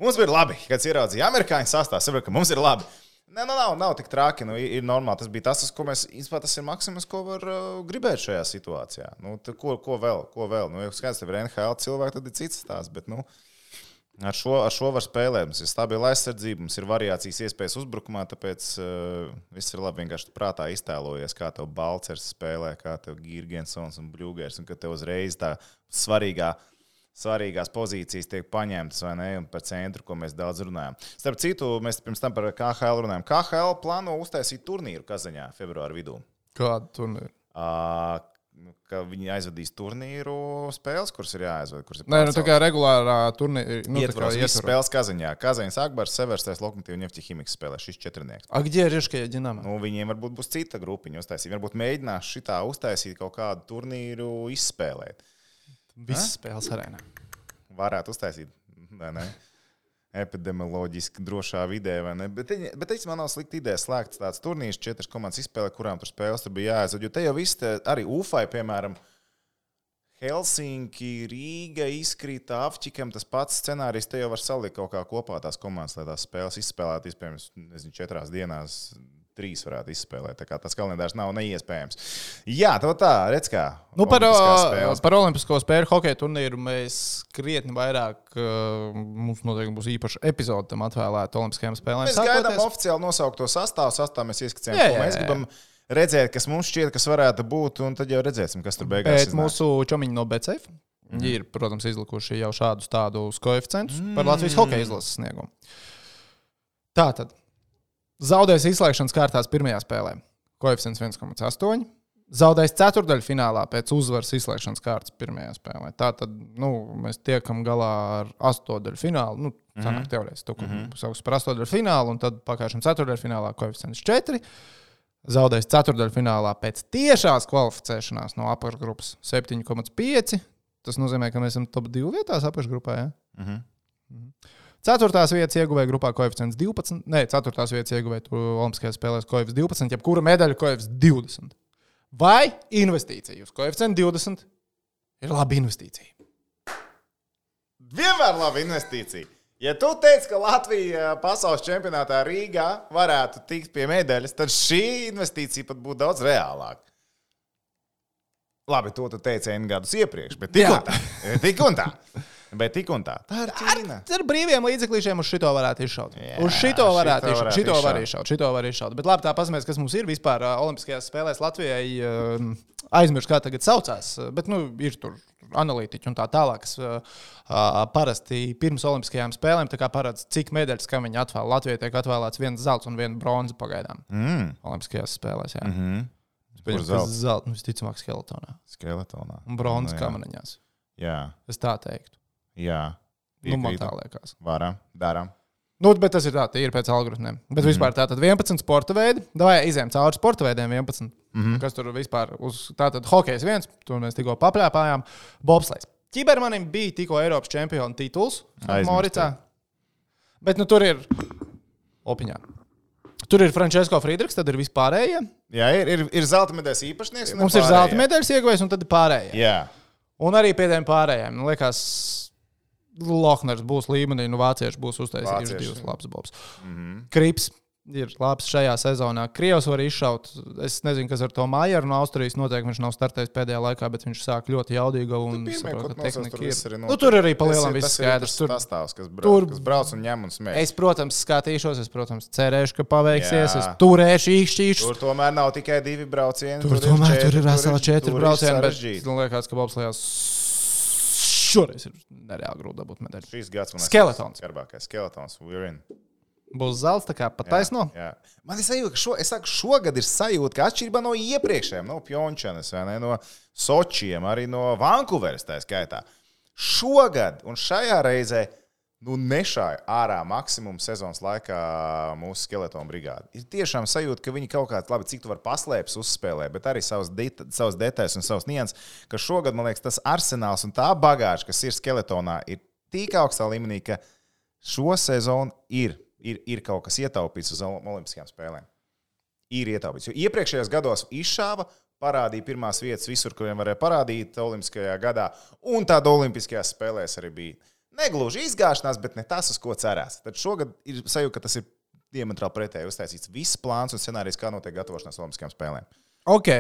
Mums bija labi, kad ieraudzīja amerikāņu sastāvs. Saprotu, ka mums ir labi. Nē, nu, nav, nav tik traki, nu, ir normāli. Tas bija tas, ko mēs, īstenībā, tas ir maksimums, ko var uh, gribēt šajā situācijā. Nu, tad, ko, ko vēl? Ko vēl? Nu, ja skaidrs, tev ir N H L cilvēki, tad ir cits stāsts. Bet, nu, ar šo, ar šo var spēlēt. Mums ir stabila aizsardzība, mums ir variācijas iespējas uzbrukumā, tāpēc uh, viss ir labi vienkārši prātā iztēlojies, kā tev Balcers spēlē, kā tev Girgensons un Bļūgers, un ka tev uzreiz tā svarīgā, svarīgās pozīcijas tiek paņemtas, vai ne, un par centru, ko mēs daudz runājam. Starp citu, mēs pirms tam par K H L runājam. K H L plāno uztaisīt turnīru Kazaņā februāra vidū. Kādu turnīru? Uh, ka viņi aizvadīs turnīru spēles, kuras ir jāaizved. Kuras ir Nē, nu tā kā regulārā turnīra. Nu, ietvaros visas spēles Kazaņā. Kazaņas Akbars, Severstais, Lokomotīva, Ņefķihimiks spēlē šis četrnieks. A, где Riškajā Dinamo? Nu, viņiem varbūt būs cita grupiņa uztaisīt. Varbūt mēģinās šitā uztaisīt kaut kādu turnīru izspēlēt. Visas spēles arēnā. Varētu uztaisīt, vai ne? Epidemioloģiski drošā vidē, vai ne? Bet, bet es man nav slikta ideja slēgt tāds turnīrs, četras komandas izspēlē, kurām tur spēles tur bija jāaizved. Jo te jau viss, te, arī Ufai, piemēram, Helsinki, Rīga izkrita, Avķikam tas pats scenārijs, te jau var salikt kaut kā kopā tās komandas, lai tās spēles izspēlēt, iespējams, nezinu, četrās dienās, trīs varētu izspēlēt. Tā kā tas kalendārs nav neiespējams. Jā, tā tā, redz kā. Nu, par, par olimpisko spēļu hokeja turnīru mēs krietni vairāk, uh, mums noteikti būs īpaša epizode tam atvēlēta olimpiskajām spēlēm. Mēs Sākoties. Gaidām oficiāli nosaukt to sastāvu, sastāvu mēs ieskicējam, ko mēs gribam redzēt, kas mums šķiet, kas varētu būt, un tad jau redzēsim, kas tur beigās iznāk. Bet mūsu čomiņi no B C F mm. ir, protams, izlikuši jau šādus tādus koeficientus mm. par Latvijas hokeja izlases sniegumu. Tātad. Zaudēs izslēgšanas kārtās pirmajā spēlē. Koeficients viens komats astoņi. zaudējis ceturdaļfinālā pēc uzvaras izslēgšanas kārtas pirmajā spēlē. Tā tad nu, mēs tiekam galā ar astodaļu finālu. Nu, sanāk mm-hmm. teorētiski, to, ko mm-hmm. sauc par astodaļu finālu, un tad pakāpšana ceturdaļu finālā koeficients četri. Zaudējis ceturdaļu finālā pēc tiešās kvalificēšanās no apakšgrupas septiņi komats pieci. Tas nozīmē, ka mēs esam top divi vietās apakšgrupā, ja? Mm-hmm. Ceturtās vietas ieguvēja grupā koeficients divpadsmit. Nē, ceturtās vietas ieguvēja Olimpiskajās spēlēs koeficients divpadsmit, jebkura medaļa koeficients divdesmit. Vai investīcija uz koeficientu divdesmit ir laba investīcija? Vienmēr laba investīcija. Ja tu teici, ka Latvija pasaules čempionātā Rīgā varētu tikt pie medaļas, tad šī investīcija pat būtu daudz reālāka. Labi, to tu teici N gadus iepriekš, bet tik un tā. Tik un tā. Bet tik un tā. Tā ir Ķīna. Ar, ar brīviem līdzeklīšiem uz šito varētu izšaut. Jā, uz šito varētu izšaut. Šito var izšaut. Šito var izšaut. Bet labi, tā pasmēs, kas mums ir vispār uh, Olimpiskajās spēlēs Latvijai. Uh, aizmirst, kā tagad saucās. Bet, nu, ir tur analītiķi un tā tālāk, kas uh, uh, parasti pirms Olimpiskajām spēlēm tā kā paredz, cik medaļas, kam viņi atvēl. Latvijai tiek atvēlēts viens zelts un viena bronza pagaidām. Mm. Olimpiskajās spēlēs, jā. Mm-hmm. Kur zelts? Zelts, nu, visticamāk, skeletonā. Skeletonā. Un bronza nu, kamaniņās. Jā. Es tā teiktu. Jā. Nu, man tā liekas. Varam, daram. Nu, bet tas ir tā, tie ir pēc algoritmiem. Bet mm-hmm. vispār tā tad vienpadsmit sporta veidi. Davai izējām cauri sporta veidiem vienpadsmit. Mm-hmm. Kas tur vispār uz tā tad hokejs viens, tur mēs tikko papļāpājām. Bobslejs. Ķibermanim bija tikko Eiropas čempiona tituls Moricā. Bet nu tur ir opiņā. Tur ir Frančesko Friedrichs, tad ir vispārējie. Jā, ir, ir, ir zelta medaļas īpašnieks. Mums ir zelta medaļas ieguvējs un tad ir pārējie. Jā. Un arī pie tiem pārējiem. Nu, liekas, Lohners būs līmenī, nu vācieši būs uztaisījuši divas labas bobs. Mm-hmm. Krips ir labs šajā sezonā. Krievs var izšaut. Es nezinu, kas ar to Majeru no Austrijas notiek. Viņš nav startējis pēdējā laikā, bet viņš sāk ļoti jaudīgu un saprot, ka tehnika ir. Arī nu, tur arī pa lielam viss skaidrs. Tur sastāvs, kas, brauc, tur, kas brauc un ņem un smēķi. Es, protams, skatīšos, es, protams, cerēšu, ka paveiksies. Jā. Es turēšu, īkšķīšu. Tur tomēr nav tikai divi braucieni. Tur, tur tomēr četri, tur ir vesela četri braucieni, bet man liekas, ka bobslejās šoreiz ir nereāli grūti dabūt medaļu. Šīs gads man Skeletons. Skarbākais. Skeletons. We're in. Būs zelts, tā kā pataisno. Jā, jā. Man ir sajūta, ka šo, es saku, šogad ir sajūta, ka atšķirībā no iepriekšējiem, no Pjončanas, vai ne, no Sočiem, arī no Vankūveras tā skaitā. Šogad un šajā reizē nu, nešāja ārā maksimumu sezonas laikā mūsu skeletonu brigādi. Ir tiešām sajūta, ka viņi kaut kāds, labi, cik tu var paslēpes uzspēlē, bet arī savas, det, savas detaļas un savas nianses, ka šogad, man liekas, tas arsenāls un tā bagāža, kas ir skeletonā, ir tik augstā līmenī, ka šo sezonu ir, ir, ir kaut kas ietaupīts uz Olimpiskajām spēlēm. Ir ietaupīts. Jo iepriekšējos gados izšāva, parādīja pirmās vietas visur, kuriem varēja parādīt Olimpiskajā gadā, un tāda Olimpiskajās spēlēs arī bija. Negluži izgāšanās, bet ne tas, uz ko cerās. Tad šogad ir sajūta, ka tas ir diametrāli pretēji uztaisīts viss plāns un scenārijs, kā notiek gatavošanās Olimpiskajām spēlēm. Ok,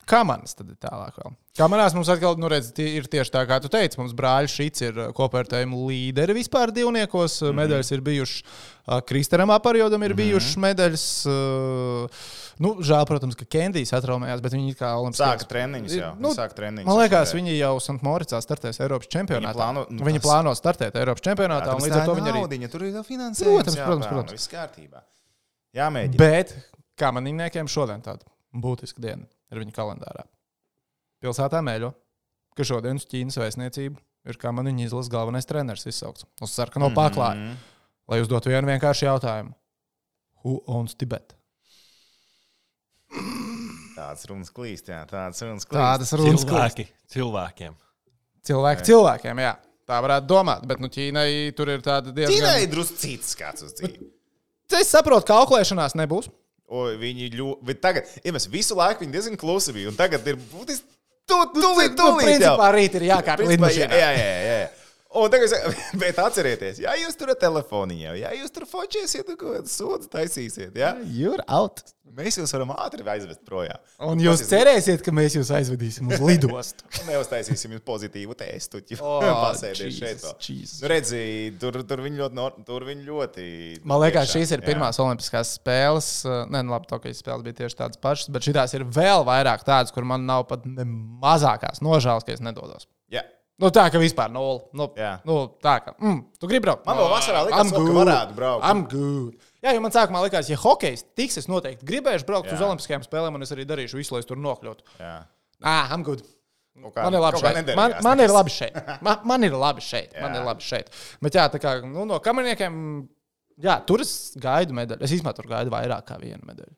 kā manas tad ir tālāk vēl? Kā manās mums atkal, nu redz, ir tieši tā, kā tu teici, mums brāļi Šits ir kopvērtējumu līderi vispār divniekos, mm-hmm. medaļas ir bijušas, Kristaram Aparjodam ir mm-hmm. bijušas medaļas, nu, žēl, protams, ka Kendijs atraumējās, bet viņi kā Olimpiskajās... Sāka treniņus jau, nu, sāka treniņus. Man liekas, viņi jau Sant Moricā startēs Eiropas čempionātā. Viņi plāno, nu, viņi plāno startēt Eiropas čempionātā, jā, un līdz ar to viņi arī... Naudiņa, tur ir finansējums, protams, jā, protams, protams. protams. Viss kārtībā. Jāmēģina. Bet, kā manīniekiem šodien tāda būtiska diena ir viņa kalendārā. Pilsētā mēļo, ka šodien uz Ķīnas vēstniecību ir kā man viņa izlases galvenais treneris izsaukts uz sarkano mm-hmm. paklāju, lai uzdotu vienu vienkāršu jautājumu. Who owns Tibet? Tāds runas klīst, jā, tāds runas klīst. Tādas runas Cilvēki, cilvēkiem. Cilvēki cilvēkiem, jā. Tā varētu domāt, bet nu Ķīnai tur ir tāda diezgan... Ķīnai ir drusku cits skats uz dzīvi. Es saprotu, ka auklēšanās nebūs. O, viņi ļoti... Tagad, ja mēs visu laiku viņi diezgan klusi bija, un tagad ir būtiski... Tu, tu, tu, tu, tu, principā rīt ir jākārt lidmašīnā. Jā, jā, jā, jā. Un tagad, bet atcerieties, ja jūs tur ar telefoniņu, ja jūs tur fočēsiet, ko sodu taisīsiet, ja? You're out. Mēs jūs varam ātri aizvest projām. Un jūs Pasies... cerēsiet, ka mēs jūs aizvedīsim uz lidostu. Un neuztaisīsim jūs pozitīvu testu, ja oh, pasēdies šeit. Nu, redzi, tur, tur viņi ļoti, tur viņi ļoti... Man liekas, šīs ir pirmās jā. Olimpiskās spēles. Nē, nu labi, tokijas spēles bija tieši tādas pašas, bet šitās ir vēl vairāk tādas, kur man nav pat ne mazākās nožēlas, ka es nedodos. Jā. Nu tā, ka vispār nulli. Nu, nu tā, ka, mm, tu gribi braukt? Man vēl vasarā likās, ka varētu braukt. I'm good. Jā, jo man sākumā likās, ja hokejs tiks, es noteikti gribēšu braukt Jā. uz Olimpiskajām spēlēm, un es arī darīšu visu, lai es tur nokļūtu. Jā. Ah, I'm good. Kā, Man ir labi šeit. Man, man ir labi šeit. Man, man ir labi šeit. Man ir labi šeit. Bet jā, tā kā nu, no kamerniekiem, jā, tur es gaidu medaļu. Es īstenībā tur gaidu vairāk kā vienu medaļu.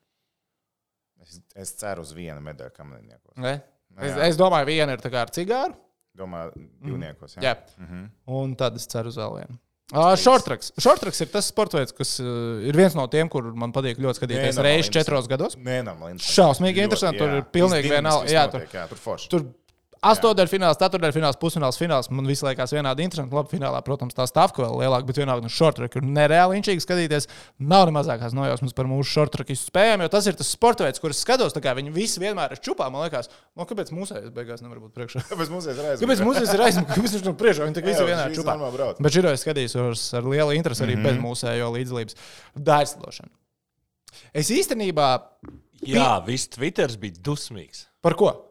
Es, es ceru uz vienu medaļu kamerniekos. Ne? Es, es domāju, viena ir tā kā ar cigāru. Domāju, divniekos. Jā. Jā. Mhm. Un tad es ceru uz vēl vienu. Uh, Shortracks. Shortracks ir tas sports veids, kas uh, ir viens no tiem, kur man patīk ļoti skatīties reizes četros gados. Nenormāli. Šausmīgi interesanti. Tur ir pilnīgi vienalga. Jā, tur, jā, tur forši. tur astotdaļfināls, ceturtdaļfināls, pusfināls, fināls. Man visu laikās vienādi interesanti. Labi, finālā, protams, tā stāvka vēl lielāka, bet vienalga no shortrack ir nereāli inčīgi skatīties. Nav ne mazākās nojausmas par mūsu shortrackistu spējām, jo tas ir tas sports veids, kurus skatos. Tā kā viņi visi vienmēr ir čupā, man liekas, no kāpēc mūsējais beigās nevar būt priekšā? Kāpēc mūsējais ir aizmugurē? Kāpēc mūsējais ir aizmugurē? Kāpēc viņš no priekšā? Viņi tik visi vienādi čupā. Bet šito es skatījos ar lielu interesi arī mm -hmm. bez mūsējo līdzdalības. Dārslidošana. Es īstenībā... Jā, viss Twitters bija dusmīgs. Par ko?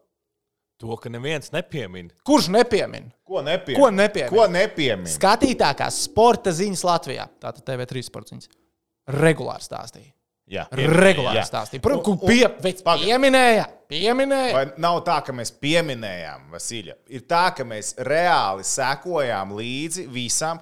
To, ka neviens nepiemin. Kurš nepiemin? Ko nepiemin? Ko nepiemin? Ko nepiemin? Skatītākās sporta ziņas Latvijā. Tātad T V trīs sporta ziņas. Regulāri stāstīja. Jā. Regulāri jā. stāstīja. Protams, kur pie, pieminēja. Pieminēja. Vai nav tā, ka mēs pieminējām, Vasilja? Ir tā, ka mēs reāli sekojām līdzi visam.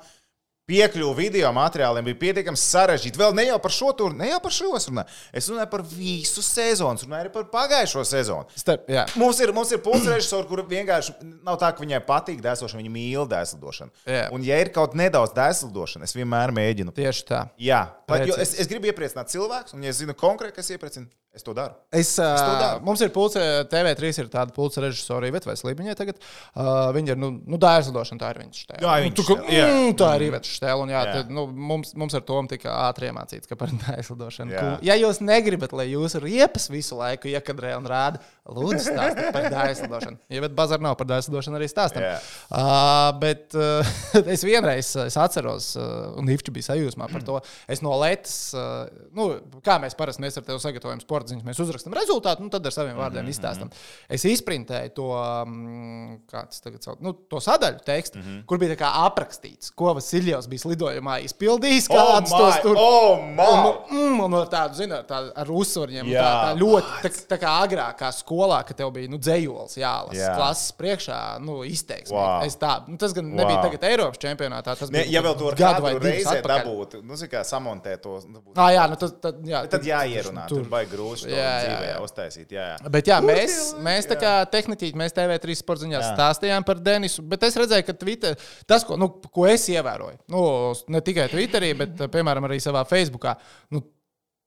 Piekļuvu video materiāliem bija pietiekami sarežģīti. Vēl ne jau par šo turu, ne jau par šo es runāju. Es runāju par visu sezonu, runāju arī par pagājušo sezonu. Starp, mums ir, mums ir pulsrežisori, kuri vienkārši nav tā, ka viņai patīk dēslošana, viņa mīl dēslidošanu. Jā. Un ja ir kaut nedaudz dēslidošana, es vienmēr mēģinu. Tieši tā. Jā, pat, jo es, es gribu iepriecināt cilvēkus, un ja es zinu konkrēti, kas iepriecina, es to daru. Es, es to daru. Mums ir pulse, T V trīs ir tāda pulse režisori, Iveta Veselībiņai tagad. Uh, viņa ir, nu, nu dēslidošana, tā ir viņas štēle. Jā, nu, viņas tu, štēle. Jā. Mm, tā ir Iveta štēle, un jā, Jā. tad, nu, mums, mums ar Tomu tika ātri iemācīts, ka par dēslidošanu. Jā. Cool. Ja jūs negribat, lai jūsu riepas visu laiku iekadrē un rāda, lūdzu stāstiet par dēslidošanu. Iveta Bazar nav par dēslidošanu arī stāstam. Uh, bet uh, es vienreiz es atceros, uh, un Ivča bija sajūsmā par to, es no Letas, uh, nu, kā mēs parasti mēs ar tevi sagatavojam sporta ziņas, mēs uzrakstam rezultātu, un tad ar saviem vārdiem izstāstam. Es izprintēju to, um, kā tas tagad sauc, nu, to sadaļu tekstu, mm-hmm. kur bija tā kā aprakstīts, ko Vasiljevs bija lidojumā izpildījis, kāds oh tos tur. Oh, un, mm, un ar tādu, zini, tādu ar uzsvarņiem, tā, tā ļoti, tā, tā kā agrākā skolā, ka tev bija, nu, dzējols jālas, Jā. klases priekšā, nu, izteiksmīgi. Wow. Es tā, nu, tas gan nebija Wow. tagad Eiropas čempionātā, tas Ne, bija ja vēl to ar gadu vai kādu divus reizē atpakaļ. dabūtu, nu, zin kā, samontēt to. Dabūt. Ah, jā, nu, tad, tad, jā, Bet tad jāierunā, tur baigi grūti to Jā, jā, dzīvē jā. uztaisīt. Jā, jā. Bet jā, Kur mēs, tie mēs tā laiki, kā tehniķi, mēs T V trīs sporta ziņās Jā. stāstījām par Denisu, bet es redzēju, ka Twitter, tas, ko, nu, ko es ievēroju, nu, ne tikai Twitterī, bet, piemēram, arī savā Facebookā, nu,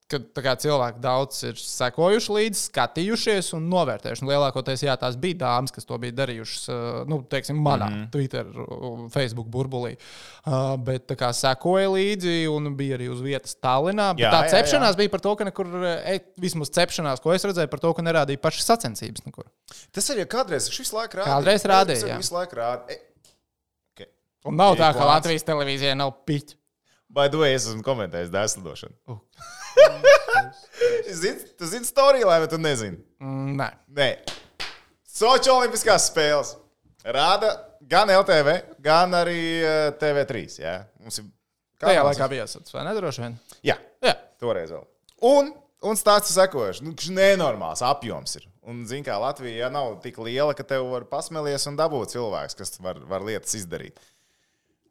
kad tā kā cilvēki daudz ir sekojuši līdzi, skatījušies un novērtējuši. Un lielākoties, jā, tās bija dāmas, kas to bija darījušas, nu, teiksim, manā mm-hmm. Twitter, Facebook burbulī. Uh, bet tā kā sekoja līdzi un bija arī uz vietas Tallinā. Bet Jā, tā jā, cepšanās jā. bija par to, ka nekur, e, vismaz cepšanās, ko es redzēju, par to, ka nerādīja pašas sacensības nekur. Tas arī kādreiz, viņš visu laiku rādīja. Kādreiz rādīja, Tas jā. arī visu laiku rādīja. E, okay. Un nav Ir tā, ka plāns. Latvijas televīzijai nav piķi. By the way, es esmu komentējis dēslidošanu. Uh. Zini, tu zini storiju, vai tu nezini? Mm, nē. Nē. Soči olimpiskās spēles. Rāda gan L T V, gan arī uh, T V trīs. Jā. Mums ir Tajā laikā bija jāsats, vai nedroši vien? Jā, Jā. toreiz vēl. Un, un stāsts sekojuši. Nu, kas nenormāls apjoms ir. Un, zin kā, Latvija ja nav tik liela, ka tev var pasmelies un dabūt cilvēks, kas var, var lietas izdarīt.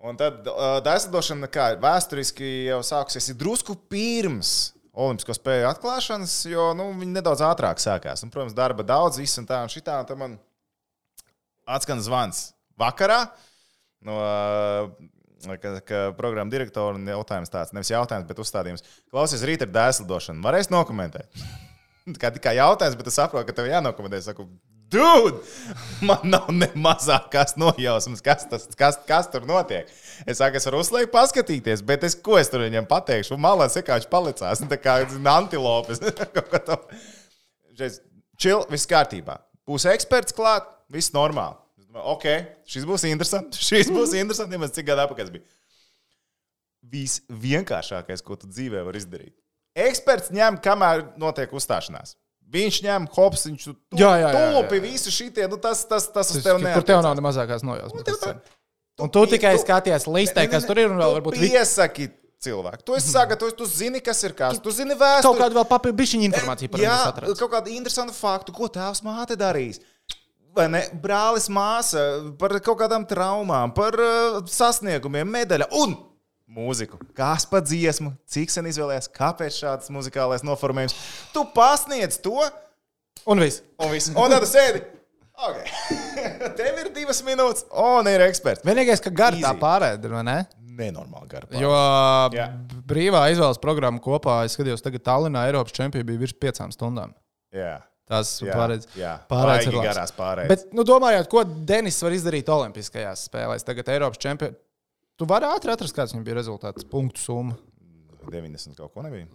Un tad uh, dēslidošana, kā vēsturiski jau sākusies, ir drusku pirms Olimpisko spēļu atklāšanas, jo nu, viņi nedaudz ātrāk sākās. Un, protams, darba daudz, viss un tā un šitā. Un tad man atskan zvans vakarā no ka, ka programma direktora un jautājums tāds, nevis jautājums, bet uzstādījums. Klausies, rīt ir dēslidošana. Varēs nokomentēt? Kā tikai jautājums, bet es saprotu, ka tev jānokomentē. Es saku, dude, man nav ne mazākās nojausmas, kas, tas, kas, kas tur notiek. Es saku, es varu uzliekt paskatīties, bet es, ko es tur viņam pateikšu? Un malā sekāči palicās, tā kā antilopes. Čil, viss kārtībā. Būs eksperts klāt, viss normāli. Ok, šis būs interesants, šis būs interesants, ja mēs cik gadu apakaļ bija. Viss vienkāršākais, ko tu dzīvē var izdarīt. Eksperts ņem, kamēr notiek uzstāšanās. Viņš ņem hops, viņš tu tūpi visu šitie, nu tas, tas, tas uz tev neatiecās. Kur tev nav ne mazākās nojausmas. Un tu tikai skaties listē, kas tur ir un vēl varbūt... Piesaki cilvēku. Tu esi sagatavojis, tu zini, kas ir kas. Tu zini vēsturi. Kaut kādu vēl papildu bišķiņu informāciju par Jā, viņu kaut kādu interesantu faktu, ko tēvs māte darīs. Vai ne? Brālis māsa par kaut kādām traumām, par uh, sasniegumiem, medaļa un mūziku. Kas pa dziesmu, cik sen izvēlējies, kāpēc šāds muzikālais noformējums. Tu pasniedz to. Un viss. Un viss. Un tad tu sēdi. Okay. Tev ir divas minūtes, un ir eksperts. Vienīgais, ka gar tā Easy. pārēd, vai ne? Nenormāli gara. Jo Jā. brīvā izvēles programma kopā, es skatījos, tagad Tallinā Eiropas čempionā bija virs piecām stundām. Jā. Tas Jā, pārēdz. jā. Pārēdz Baigi ir labs. garās pārēdz. Bet, nu, domājot, ko Denis var izdarīt Olimpiskajās spēlēs, tagad Eiropas čempionā. Tu vari ātri atrast, kāds viņam bija rezultāts, punktu summa. deviņdesmit kaut ko nebija.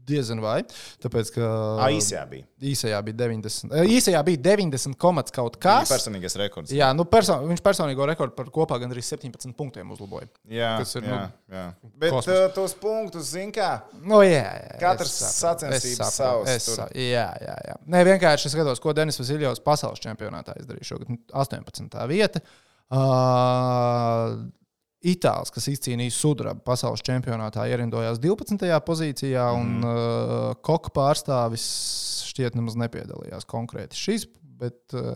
Diezin vai. Tāpēc, ka Ā, īsajā bija. īsajā bija deviņdesmit. Īsajā bija deviņdesmit komats kaut kas. Personīgais rekords. Jā, nu perso viņš personīgo rekordu par kopā gandrīz septiņpadsmit punktiem uzlaboja. Jā, kas ir, jā, nu, jā. Bet kosmos. uh, tos punktus, zin kā, Nu, jā, jā, Katrs es saprotu, sacensības es saprotu, savs es tur. sa- Jā, jā, jā. Nē, vienkārši es skatos, ko Denis Vasiljovs pasaules čempionātā izdarīja šogad. astoņpadsmitā vieta. Uh, Itālis, kas izcīnīja sudrabu pasaules čempionātā, ierindojās divpadsmitajā pozīcijā, mm. un uh, koka pārstāvis šķiet nemaz nepiedalījās konkrēti šis. Bet, uh,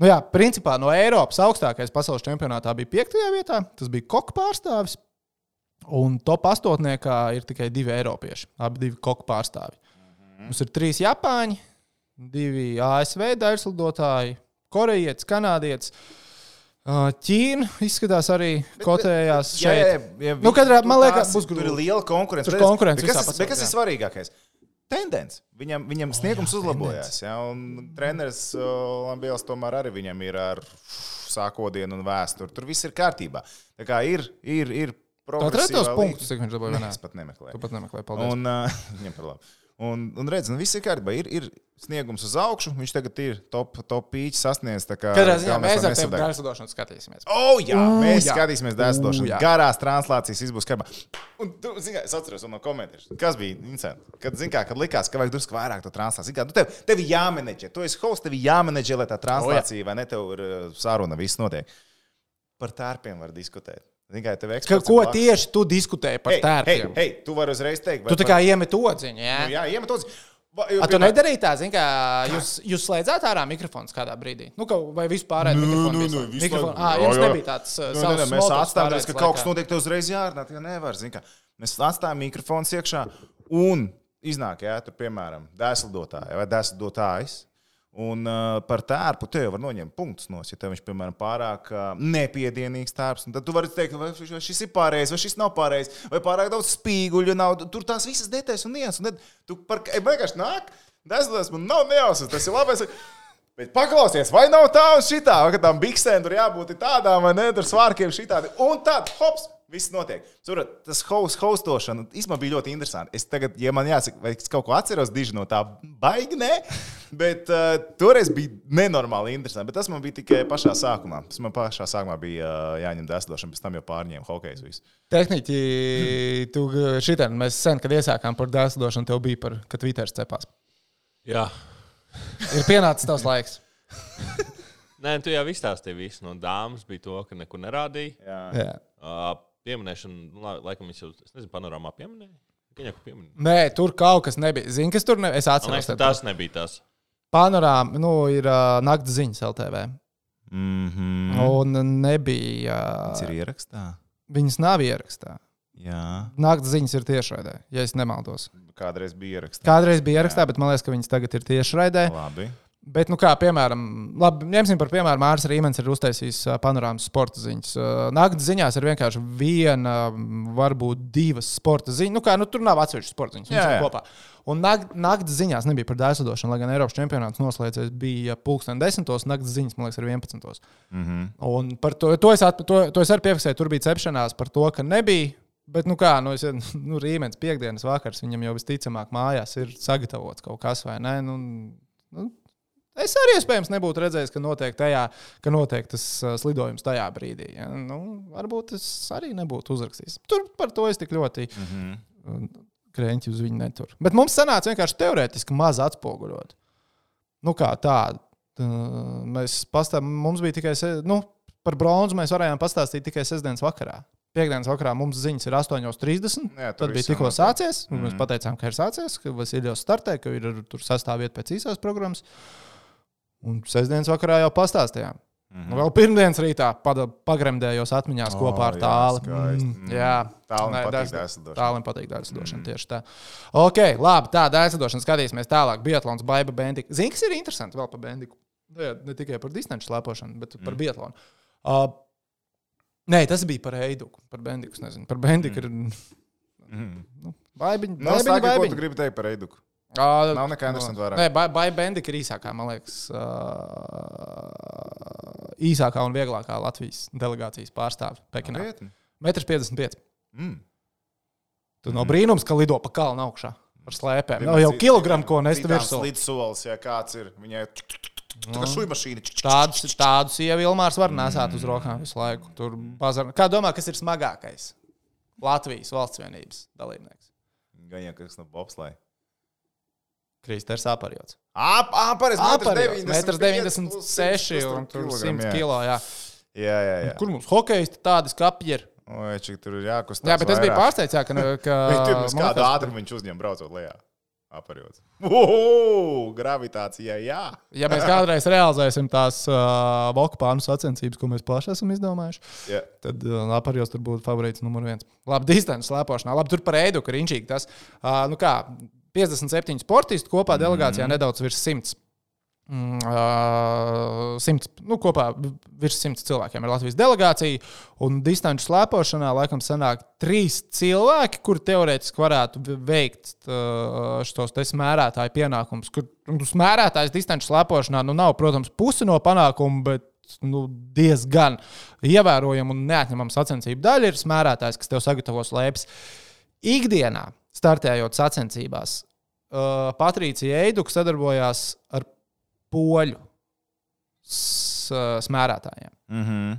nu jā, principā no Eiropas augstākais pasaules čempionātā bija piektajā vietā. Tas bija koka pārstāvis. Un top astotniekā ir tikai divi eiropieši, abi divi koka pārstāvi. Mm. Mums ir trīs Japāņi, divi A S V daļslidotāji, korejietis, kanādietis. Ķīna izskatās arī kotējās šeit. Jā, jā, jā, Nu, katrā, tur man liekas, tās- būs tur grūti. ir liela konkurence. Tur Bet- konkurence bet kas, visā ir- bet kas pasaulē, ir svarīgākais? Tendence. Viņam, viņam oh, sniegums jā, uzlabojās. Ja, un treneris Lambielis tomēr arī viņam ir ar sākodienu un vēsturi. Tur viss ir kārtībā. Tā kā ir, ir, ir Tu atradi tos progresīvā punktus, līnija. cik viņš dabūja? Nē, es pat nemeklēju. Tu pat nemeklēji, paldies. Un, uh, viņam par labu. Un, un redz, nu viss ir kārtībā. Ir, ir sniegums uz augšu. Viņš tagad ir top, top pīķis sasniedz. tā kā Katrā ziņā galvenais, mēs lai ar tevi nesadeg. dārzadošanu skatīsimies. O, jā, O, mēs jā. skatīsimies O, dēsdošanu. jā. Garās translācijas viss būs kārtībā. Un tu, zini, kā, es atceros no komentāriem. Kas bija interesanti? Kad, zini, kā, kad likās, ka vajag drusku vairāk to translāciju. Kā, nu, tev, tev ir jāmenedžē. Tu esi hosts, tev ir jāmenedžē, lai tā translācija, vai ne, tev ir uh, saruna, viss notiek. Par tērpiem var diskutēt. Zini, kā, tev Ka, eksperts ko ir blakus. tieši tu diskutēji par Hei, hei, tērpiem? hei, tu vari uzreiz teikt. vai Tu tā par- kā iemet odziņu, jā? Nu, jā, iemet uz. Va- A, tu nedarīji tā, zini, kā jūs, jūs slēdzāt ārā mikrofons kādā brīdī? Nu, ka, vai vispār ārā Nē, mikrofonu? nē, bija nē, slēgts? visu Mikrofonu- laiku. Ā, Jā, jums jā. nebija tāds uh, Nu, nē, savs nē, mēs small talks atstājām, pārējais ka kaut kas laikā. notiek, tev uzreiz jārunā. Tā nevar, zini, kā. Mēs atstājām mikrofonu iekšā un iznāk, jā, tur, piemēram, dēslidotāja vai dēslidotājs. Un uh, par tērpu tev var noņemt punktus no, ja tev viņš, piemēram, pārāk uh, nepiedienīgs tērps. Tad tu vari teikt, vai šis- vai šis ir pareizs, vai šis nav pareizs, vai pārāk daudz spīguļu nav. Tur tās visas detaļas un nianses. Un tad tu par kā vienkārši nāk, dēslidoties, man nav nejausmas, tas ir labais. Bet paklausies, vai nav tā un šitā, vai tām biksēm tur jābūt tādām, vai ne, tur svārkiem šitādi. Un tad, hops, viss notiek. Surat, tas host, hostošana īstenībā bija ļoti interesanti. Es tagad, ja man jāsaka, vai es kaut ko atceros diži no tā, baigi, ne? Bet uh, toreiz bija nenormāli interesanti. Bet tas man bija tikai pašā sākumā. Tas man pašā sākumā bija uh, jāņem dēslidošana, pēc tam jau pārņēma hokejs visu. Tehniķi, tu šitien, mēs sen, kad iesākām par dēslidošanu, tev bija par, ka Twitteris cepās. Jā. Ir pienācis tavs laiks. Nē, tu jau izstāstīji visu. No dāmas bija to, ka nekur nerādīja. Jā. Jā. Uh, pieminēšana, nu, la- laikam, viņš jau, es nezinu, panorāmā pieminēja. Viņa kaut ko pieminēja. Nē, tur kaut kas nebija. Zini, kas tur nebija? Es Man atceros. liekas, ka tev. tas nebija tas. Panorāma, nu, ir uh, nakts ziņas L T V. Mm-hmm. Un nebija. Tas ir Uh, ierakstā. viņas nav ierakstā. Jā. Nakts ziņas ir tiešraidē, ja es nemaldos. Kādreiz bija ierakstā. Kādreiz bija ierakstā, bet man liekas, ka viņas tagad ir tiešraidē. Labi. Bet, nu, kā piemēram, labi, ņemsim par piemēru, Mārcis Rīmens ir uztaisījis ā, panorāmas sporta ziņas. Ā, Naktas ziņās ir vienkārši viena, varbūt divas sporta ziņas. Nu, kā, nu, tur nav atsevišķas sporta ziņas. Jā, viņas ir jā. kopā. Un nak- naktas ziņās nebija par dēslidošanu, lai gan Eiropas čempionāts noslēdzies bija pulksten desmitos, naktas ziņas, man liekas, ir vienpadsmitos. Mm-hmm. Un par to, to, es, at, to, to es arī piefiksēju, tur bija cepšanās par to, ka nebija. Bet, nu kā, nu, es, nu Rīmens piekdienas vakars, viņam jau visticamāk mājās ir sagatavots kaut kas vai ne. Nu, nu, Es arī iespējams nebūtu redzējis, ka notiek, tajā, ka notiek tas uh, slidojums tajā brīdī. Ja? Nu, varbūt es arī nebūtu uzrakstījis. Tur par to es tik ļoti Mm-hmm. krēņķi uz viņu neturu. Bet mums sanāca vienkārši teorētiski maz atspoguļot. Nu kā tā, tā mēs pastāv, mums bija tikai, se, nu, par bronzu mēs varējām pastāstīt tikai sestdienas vakarā. Piektdienas vakarā mums ziņas ir astoņi trīsdesmit. Jā, Tad bija tikko sācies. Mm. Mēs pateicām, ka ir sācies, ka Vasiljovs startē, ka ir tur sastāvvieta pēc īsās programmas. Un sestdienas vakarā jau pastāstījām. Mm-hmm. Nu, vēl pirmdienas rītā pagremdējos atmiņās oh, kopā ar Tāli. Mm, jā, Tālim patīk dēļslidošana. Tālim patīk dēļslidošana, mm. tieši tā. Ok, labi, tā dēļslidošana skatīsimies tālāk. Biatlons, Baiba, Bendika. Zini, kas ir interesanti vēl par Bendiku? Ne, ne tikai par distanču slēpošanu, bet mm. par biatlonu. Uh, nē, tas bija par Eiduku, par Bendiku, nezinu. Par Bendiku mm. ir... Mm. Nu, baibiņ, no, baibiņ, sāki, baibiņ. Ko tu gribi teikt par Eiduku? Uh, Nav nekā interesanti vairāk. Nē, Baiba Bendika ir īsākā, man liekas, uh, īsākā un vieglākā Latvijas delegācijas pārstāve Pekinā. metrs piecdesmit pieci. Mm. Tu mm. no brīnums, ka lido pa kalnu augšā ar slēpēm. Nav jau kilogramu, ko nest virsū. Lidsolis, ja kāds ir, viņai tā kā šujmašīna. Tādus, tādus ievi Ilmārs var nesāt uz rokām visu laiku. Tur bazar... Kā domā, kas ir smagākais Latvijas valsts vienības dalībnieks? Gan jau kas no bobslēja. Kristers Aparjots. Ap, aparies, metrs deviņdesmit seši un tur simt kilo, jā. Jā, jā, jā. Kur mums hokeisti tādi skapji ir? Oi, čik tur ir jākustās Jā, bet es biju pārsteigts, jā, ka... ka tur kādu ātrumu viņš uzņem braucot lejā. Aparjots. Uhu, gravitācijā, jā. Ja mēs kādreiz realizēsim tās uh, Vokpānu sacensības, ko mēs paši esam izdomājuši, yeah. tad uh, Aparjots tur būtu favorīts numur viens. Labi, distances slēpošanā. Labi, tur par Eiduku ir inčīgi tas. Uh, nu kā... piecdesmit septiņi sportisti kopā delegācijā mm. nedaudz virs simts. Mm, uh, simts nu, kopā virs simts cilvēkiem ir Latvijas delegācija. Un distanču slēpošanā laikam sanāk trīs cilvēki, kuri teorētiski varētu veikt uh, šos te smērētāju pienākumus. Kur nu, smērētājs distanču slēpošanā nu, nav, protams, pusi no panākumu, bet nu, diezgan ievērojama un neatņemama sacensību daļa ir smērētājs, kas tev sagatavo slēpes. Ikdienā startējot sacensībās, uh, Patricija Eiduka sadarbojās ar poļu s- smērētājiem. Mm-hmm.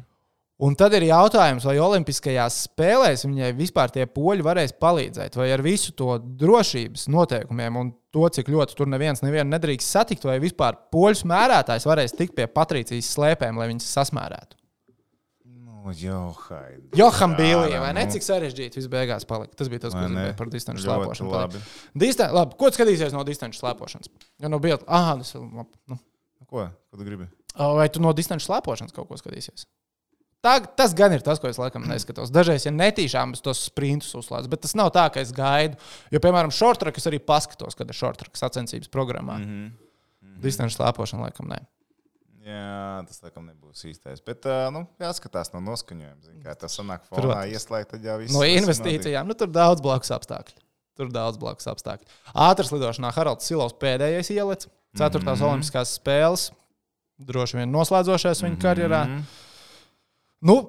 Un tad ir jautājums, vai olimpiskajās spēlēs viņai vispār tie poļi varēs palīdzēt, vai ar visu to drošības noteikumiem un to, cik ļoti tur neviens nevienu nedrīkst satikt, vai vispār poļu smērētājs varēs tikt pie Patricijas slēpēm, lai viņas sasmērētu. Johai. Joham Bīlī, vai ne? Cik sarežģīti viss beigās palika. Tas bija tas, ko gribēju par distanču slēpošanu. Labi. Distan... labi, ko tu skatīsies no distanču slēpošanas? Ja no biatl... Aha, tas ir labi. Nu. Ko? Ko tu gribi? Vai tu no distanču slēpošanas kaut ko skatīsies? Tā, tas gan ir tas, ko es laikam neskatos. Dažreiz, ja netīšām, es tos sprintus uzslēdzu, bet tas nav tā, ka es gaidu. Jo, piemēram, short-track es arī paskatos, kad ir short-track sacensības programmā. Mm-hmm. Mm-hmm. Distanču slēpošana laikam ne. Jā, tas laikam nebūs īstais. Bet, uh, nu, jāskatās no noskaņojuma. Zin, kā tas sanāk fonā ieslēgt, tad jau viss. No investīcijām, nu, tur daudz blakus apstākļu. Tur daudz blakus apstākļu. Ātras lidošanā Haralds Silovs pēdējais ielec. Ceturtās mm-hmm. olimpiskās spēles. Droši vien noslēdzošais viņa karjerā. Nu,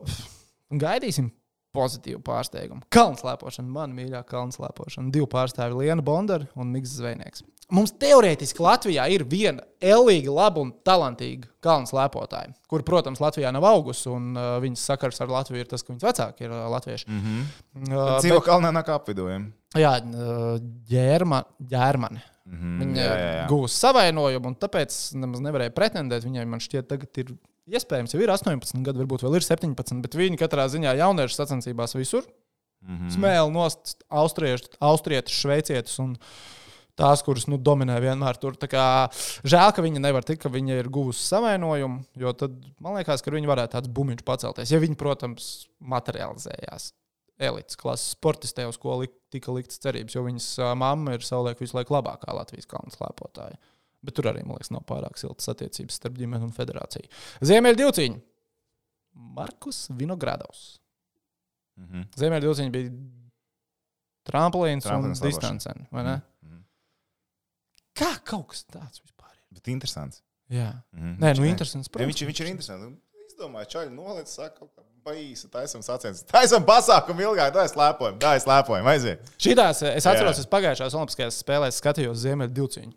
gaidīsim pozitīvu pārsteigumu. Kalnslēpošana, man mīļā kalnslēpošana. Divu pārstāvi Liena Bondara un Miks Zvejnieks. Mums teorētiski Latvijā ir viena ellīga, laba un talantīga kalnslēpotāja, kur, protams, Latvijā nav augusi, un uh, viņas sakars ar Latviju ir tas, ka viņas vecāki ir uh, latvieši. Mm-hmm. Uh, Dzīvo bet... kalnā nāk apvidojumi. Jā, uh, ģērma, ģērmane. Mm-hmm. Viņa jā, jā, jā. Gūs savainojumu, un tāpēc nemaz nevarēja pretendēt. Viņai, man šķiet, tagad ir iespējams, jau ir astoņpadsmit gadi, varbūt vēl ir septiņpadsmit, bet viņi katrā ziņā jauniešu sacensībās visur. Mm-hmm. Smēli nost austrietis, šveicietis un tās, kuras nu, dominē vienmēr tur. Tā kā, žēl, ka viņa nevar tikt, ka viņa ir guvusi savainojumu, jo tad man liekas, ka viņa varētu tāds bumiņš pacelties. Ja viņa, protams, materializējās elites klases sportistē, uz ko li- tika liktas cerības, jo viņas uh, mamma ir savulaik visu laiku labākā Latvijas kalnslēpotāja. Bet tur arī, man liekas, nav pārāk siltas attiecības starp ģimeni un federāciju. Ziemeļu divcīņi. Markus Vinogradovs. Mm-hmm. Ziemeļu divcīņi bija tramplīns un distancen, vai ne? Mm-hmm. Kā kaut kas tāds vispār ir? Bet interesants. Jā. Mm-hmm. Nē, nu interesants. Ja viņš, viņš ir interesants. Izdomāju, čaļi noliec, saka kaut kā paīsa, taisam sacensības. Taisam pasākumu ilgāk, dāj slēpojam, dāj slēpojam, aiziet. Šitās, es atceros, es pagājušās olimpiskajās spēlēs skatījos Ziemeļu divcīņu.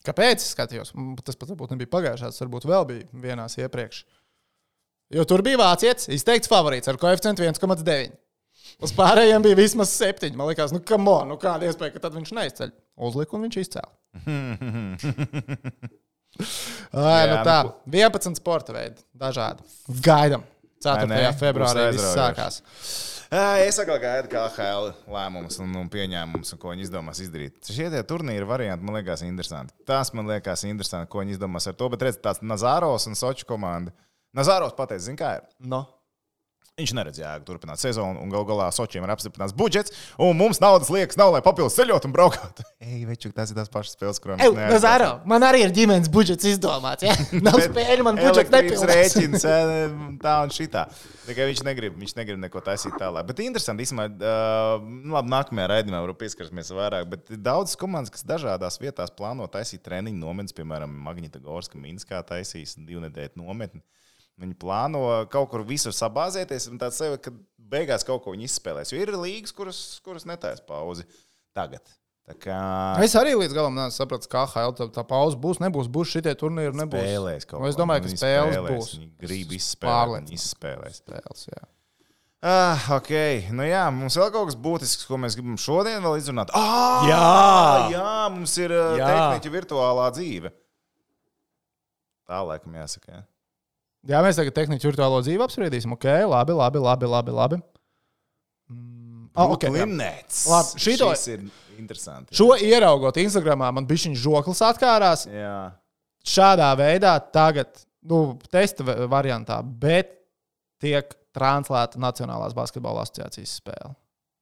Kāpēc es skatījos? Tas pat varbūt nebija pagājušās, varbūt vēl bija vienās iepriekš. Jo tur bija vācietis, izteikts favorīts ar koeficientu viens komats deviņi. Uz pārējiem bija vismaz septiņi. Man liekas, nu, come on, nu kāda iespēja, ka tad viņš neizceļ. Uzlika un viņš izcēla. Ai, nu tā, vienpadsmit sporta veidi, dažādi. Gaidam. ceturtajā februārī viss sākās. Es atkal gaidu K H L lēmumus un, un pieņēmumus, un ko viņi izdomās izdarīt. Šie tie turnīri varianti man liekas interesanti. Tas man liekas interesanti, ko viņi izdomās ar to, bet redz, tāds Nazarovs un Soču komanda. Nazarovs pateica, zin kā ir? No. Viņš neredz jēgu turpināt sezonu, un gal galā Sočiem ir apstiprināts budžets, un mums naudas liekas nav, lai papildus ceļot un braukāt. Ej, večuk, tas ir tās pašas spēles, kurām mēs neesam. Nazaro, man arī ir ģimenes budžets izdomāts, ja? Nav spēļu, man budžets nepildās. Rēķins, tā un šitā. Tikai viņš negrib, viņš negrib neko taisīt tālāk. Bet interesanti, īstenībā, uh, labi, nākamajā raidījumā varu pieskarsimies vairāk, bet daudzas komandas, kas dažādās vietās plāno taisīt treniņu nometnes, piemēram, Magnitogorska, Minskā taisīs divnedēļu nometni. Viņi plāno kaut kur visur sabāzēties, un tāds sevi, ka beigās kaut ko viņi izspēlēs. Jo ir līgas, kuras, kuras netaisa pauzi tagad. Tā kā... Es arī līdz galam nesapratu, ka K H L tā, tā pauze būs, nebūs, būs šitie turnīri, nebūs. Spēlēs kaut ko. Es domāju, ka viņi spēles spēlēs, būs. Viņi grib izspēlēt, viņi izspēlēs. Spēles, jā. Ah, ok. Nu jā, mums vēl kaut kas būtisks, ko mēs gribam šodien vēl izrunāt. Ah, jā! Jā, mums ir tehniķa virtuālā dzīve. Tā laikam jāsaka, jā. Jā, mēs tagad tehniķu virtuālo dzīvi apspriedīsim. Ok, labi, labi, labi, labi, labi. Mm, oh, okay, Brooklynets. Labi, šito, šis ir interesanti. Jā. Šo ieraugot Instagramā, man bišķiņš žoklis atkārās. Jā. Šādā veidā tagad, nu, testa variantā, bet tiek translēta Nacionālās basketbola asociācijas spēle.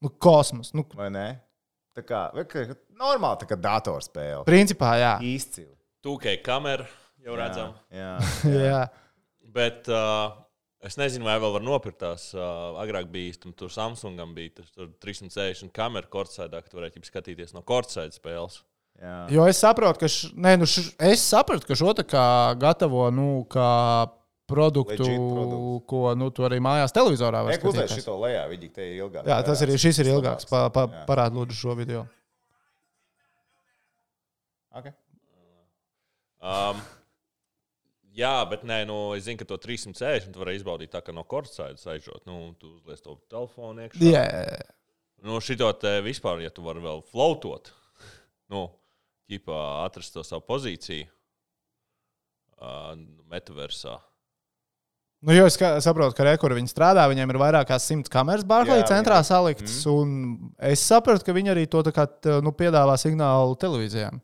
Nu, kosmos. Nu, vai ne? Tā kā, normāli tā kā datorspēle. Principā, jā. Izcili. two K kamera jau redzam. Jā, jā. jā. Bet uh, es nezinu, vai vēl var nopirkt tās. Uh, agrāk bija, tam, tur Samsungam bija tur, tur trīssimt sešdesmit kamera kortsaidā, ka tu varētu skatīties no kortsaida spēles. Jā. Jo es saprotu, ka, š, ne, nu š, es sapratu, ka šo tā kā gatavo, nu, kā produktu, ko, nu, tu arī mājās televizorā var skatīties. Ekuzēs šito lejā, viņi te ir ilgāk. Jā, tas ir, šis ir ilgāks. Pa, pa, parād lūdzu šo video. Ok. Um, Jā, bet nē, nu, es zinu, ka to trīssimt sešdesmit tu vari izbaudīt tā, ka no kortsaidas aizžot. Nu, tu uzliec to telefonu iekšā. Jā. Yeah. Nu, šito te vispār, ja tu vari vēl floatot, nu, ķipā atrast to savu pozīciju uh, metaversā. Nu, jo es kā, saprotu, ka rekur viņi strādā, viņiem ir vairāk kā simts kameras Barkley centrā saliktas, mm. un es sapratu, ka viņi arī to tā kā, nu, piedāvā signālu televīzijām.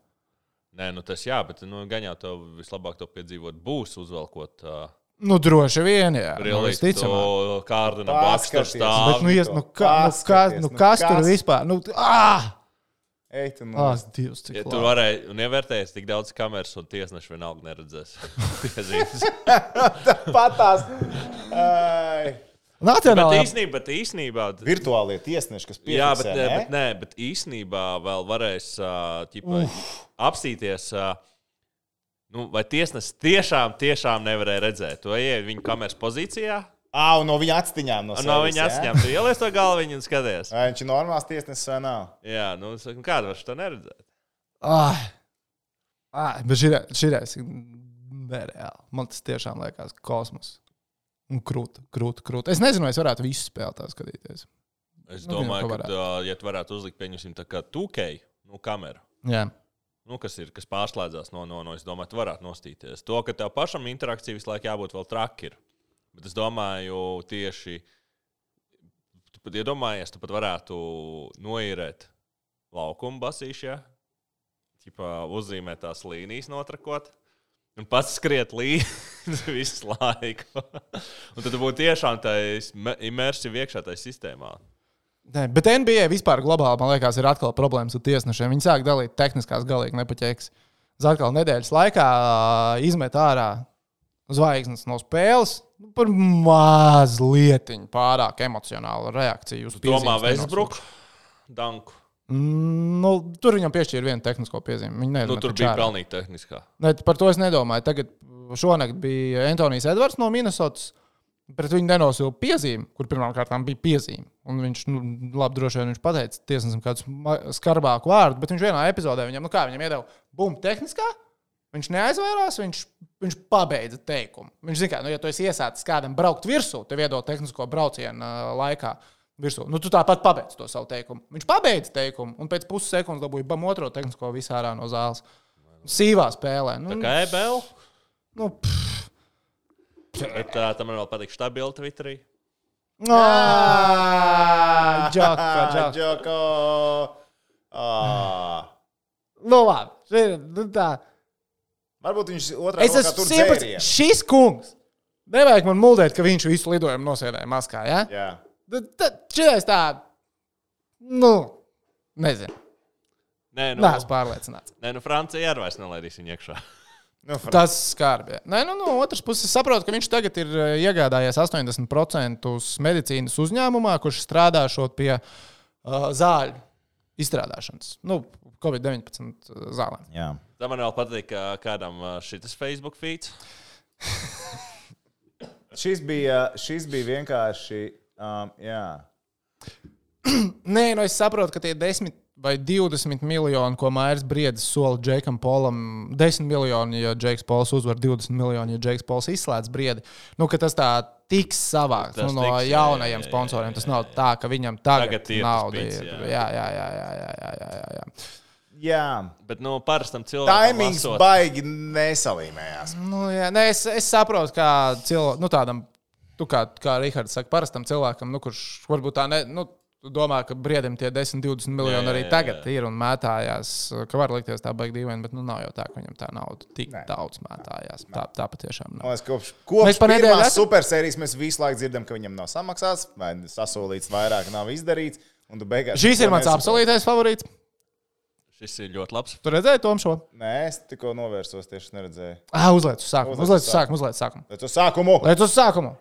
Nē, nu tas jā, bet nu, gan jau tev vislabāk to piedzīvot būs uzvelkot. Uh, nu, droši vien, jā. Realīgi to kārdu no blakus tur stāv. Bet, nu, ies, nu, ka, nu, kas, nu, kas tur vispār? Nu, āh! Ej, tu ah, Dievs, cik ja labi. Tu varēji un ievērtējies tik daudz kameras un tiesneši vienalga neredzēs. Patās. Ai. Nacionālā. Bet īstenībā, bet īstenībā virtuālie tiesneši, kas piefiksē, jā, bet, ne? bet, nē, bet īstenībā vēl varēs uh, ķipa, apsīties, uh, nu, vai tiesnesis tiešām, tiešām nevarēja redzēt. Tu ej viņu kameras pozīcijā. Ā, un no viņa atstiņām. No, no viņa atstiņām. Tu ieliec to galviņu un skaties. Vai viņš ir normāls tiesnesis vai nav? Jā, nu, saku, kāda var šo neredzēt? Ah, ah, bet širais ir nereāli. Man tas tiešām liekas kosmos. Un krūta, krūta, krūta. Es nezinu, vai es varētu visu spēli tā skatīties. Es domāju, nu, ka, tā, ja tu varētu uzlikt, pieņemsim, tā kā two K, nu, kameru. Jā. Nu, kas ir, kas pārslēdzās no, no, no, es domāju, tu varētu nostīties. To, ka tev pašam interakcija visu laiku jābūt vēl traki ir. Bet es domāju, tieši, tu pat iedomājies, tu pat varētu noīrēt laukumu basīšā, ķipā uzzīmēt tās līnijas notrakot. Un pats skriet līdzi visu laiku. Un tad būtu tiešām tā imersīva iekšā tajā sistēmā. Ne, bet N B A vispār globāli, man liekas, ir atkal problēmas ar tiesnešiem. Viņi sāk dalīt tehniskās galīgi nepaķēks. Uz atkal nedēļas laikā izmet ārā zvaigznes no spēles par mazlietiņu pārāk emocionālu reakciju uz piezīmes. Domā Westbrook, Danku. Nu, tur viņam piešķīra vienu tehnisko piezīmi. Viņa nu, tur bija pelnīgi tehniskā. Ne, par to es nedomāju. Tagad šonakt bija Antonijs Edvards no Minnesotas, pret viņu nenosīja piezīmi, kur pirmām kārtām bija piezīme. Un viņš, nu, labi, droši vien viņš pateica tiesnesim kādus skarbāku vārdu, bet viņš vienā epizodē viņam, nu kā, viņam iedeva bum tehniskā, viņš neaizvērās, viņš, viņš pabeidza teikumu. Viņš zina, kā, nu, ja tu esi iesācis kādam braukt virsū, tev iedod tehnisko braucienu uh, laikā, virsū. Nu, tu tāpat pabeidz to savu teikumu. Viņš pabeidz teikumu, un pēc puses sekundes dabūja bam otro tehnisko visā ārā no zāles. Sīvā spēlē. Nu, tā kā E B L? Nu, pff, Bet uh, tam man vēl patīk stabili Twitterī. Džoko, džoko. Džoko. Nu, labi. Nu, tā. Varbūt viņš otrā Es rokā esmu tur simts. dzērienu. Šis kungs. Nevajag man muldēt, ka viņš visu lidojumu nosēdēja maskā, ja? Jā. Tad šitais tā, nu, nezinu. Nē, nu, Nē, esmu pārliecināts. nē, nu Francija arī vairs nelaidīs viņu iekšā. Nu, Fran- Tas skarbi. Nē, nu, no otras puses saprotu, ka viņš tagad ir eh, iegādājies astoņdesmit procentus medicīnas uzņēmumā, kurš strādā šot pie uh, zāļu izstrādāšanas. Nu, covid deviņpadsmit zālēm. Jā. Tā man vēl patīk, ka kādam uh, šitas Facebook feeds. Šis bija, šis bija vienkārši, um, jā. Nē, nu es saprotu, ka tie desmit vai divdesmit miljoni, ko Mairs Briedis sola Džekam Polam, desmit miljoni, ja Džeks Pols uzvar, divdesmit miljoni, ja Džeks Pols izslēdz Briedi, nu, ka tas tā tiks savāks Tas nu, no tiks, jā, jaunajiem jā, jā, sponsoriem. jā, Tas jā, nav jā. tā, ka viņam tagad, Tagad ir tas nauda pits, ir. jā. Jā, jā, jā, jā, jā, jā, jā, jā, jā, jā. Jā. Bet, nu, parastam cilvēkam Taimings lasot- baigi nesalīmējās. Nu, jā, ne, es, es saprotu, kā cilvēkam, nu, tādam, tu kā, kā Rihards saka, parastam cilvēkam, nu, kurš varbūt tā ne, nu, tu domā, ka Briedim tie desmit, divdesmit miljoni Jā, jā, arī jā, tagad jā. ir un mētājās, ka var likties tā baigi dīvaini, bet, nu, nav jau tā, ka viņam tā nauda tik Nē. daudz mētājās. Tā, tā patiešām nav. Man liekas, kopš, kopš Mēs pa nedēļu pirmās esam- supersērijas mēs visu laiku dzirdam, ka viņam nav samaksāts, vai sasolīts vairāk, nav izdarīts. Un tu beigās Šis ir neko mans nesaproti. absolūtais favorīts. Šis ir ļoti labs. Tu redzēji Tom šo? Nē, es tikko novērsos, tieši neredzēju. Ah, uzliec uz sākumu. Uzliec uz Uzliec uz sākumu. Uzliec uz sākumu. Bet uz sākumu! Liec uz sākumu.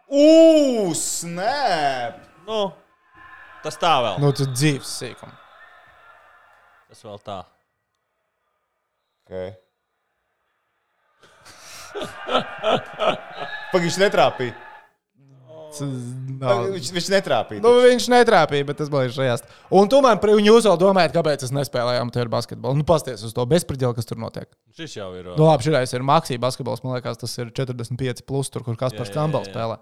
Ugh, snap! Nu, tas tā vēl. Nu, tu dzīves sīkumu. Tas vēl tā. Okay. Pagaid, viņš netrāpīja. Nav. Viņš, viņš netrāpīja. Nu, viņš netrāpīja, bet tas bija šajās. Un tu man, pri- un jūs vēl domājat, kāpēc es nespēlēju amatieru basketbolu. Nu, pasties uz to bezpriģeli, kas tur notiek. Šis jau ir. Nu, labi, šis ir Maksija basketbols. Man liekas, tas ir četrdesmit pieci plus, tur, kur Kaspars Jā, jā, Kambals jā, jā. spēlē.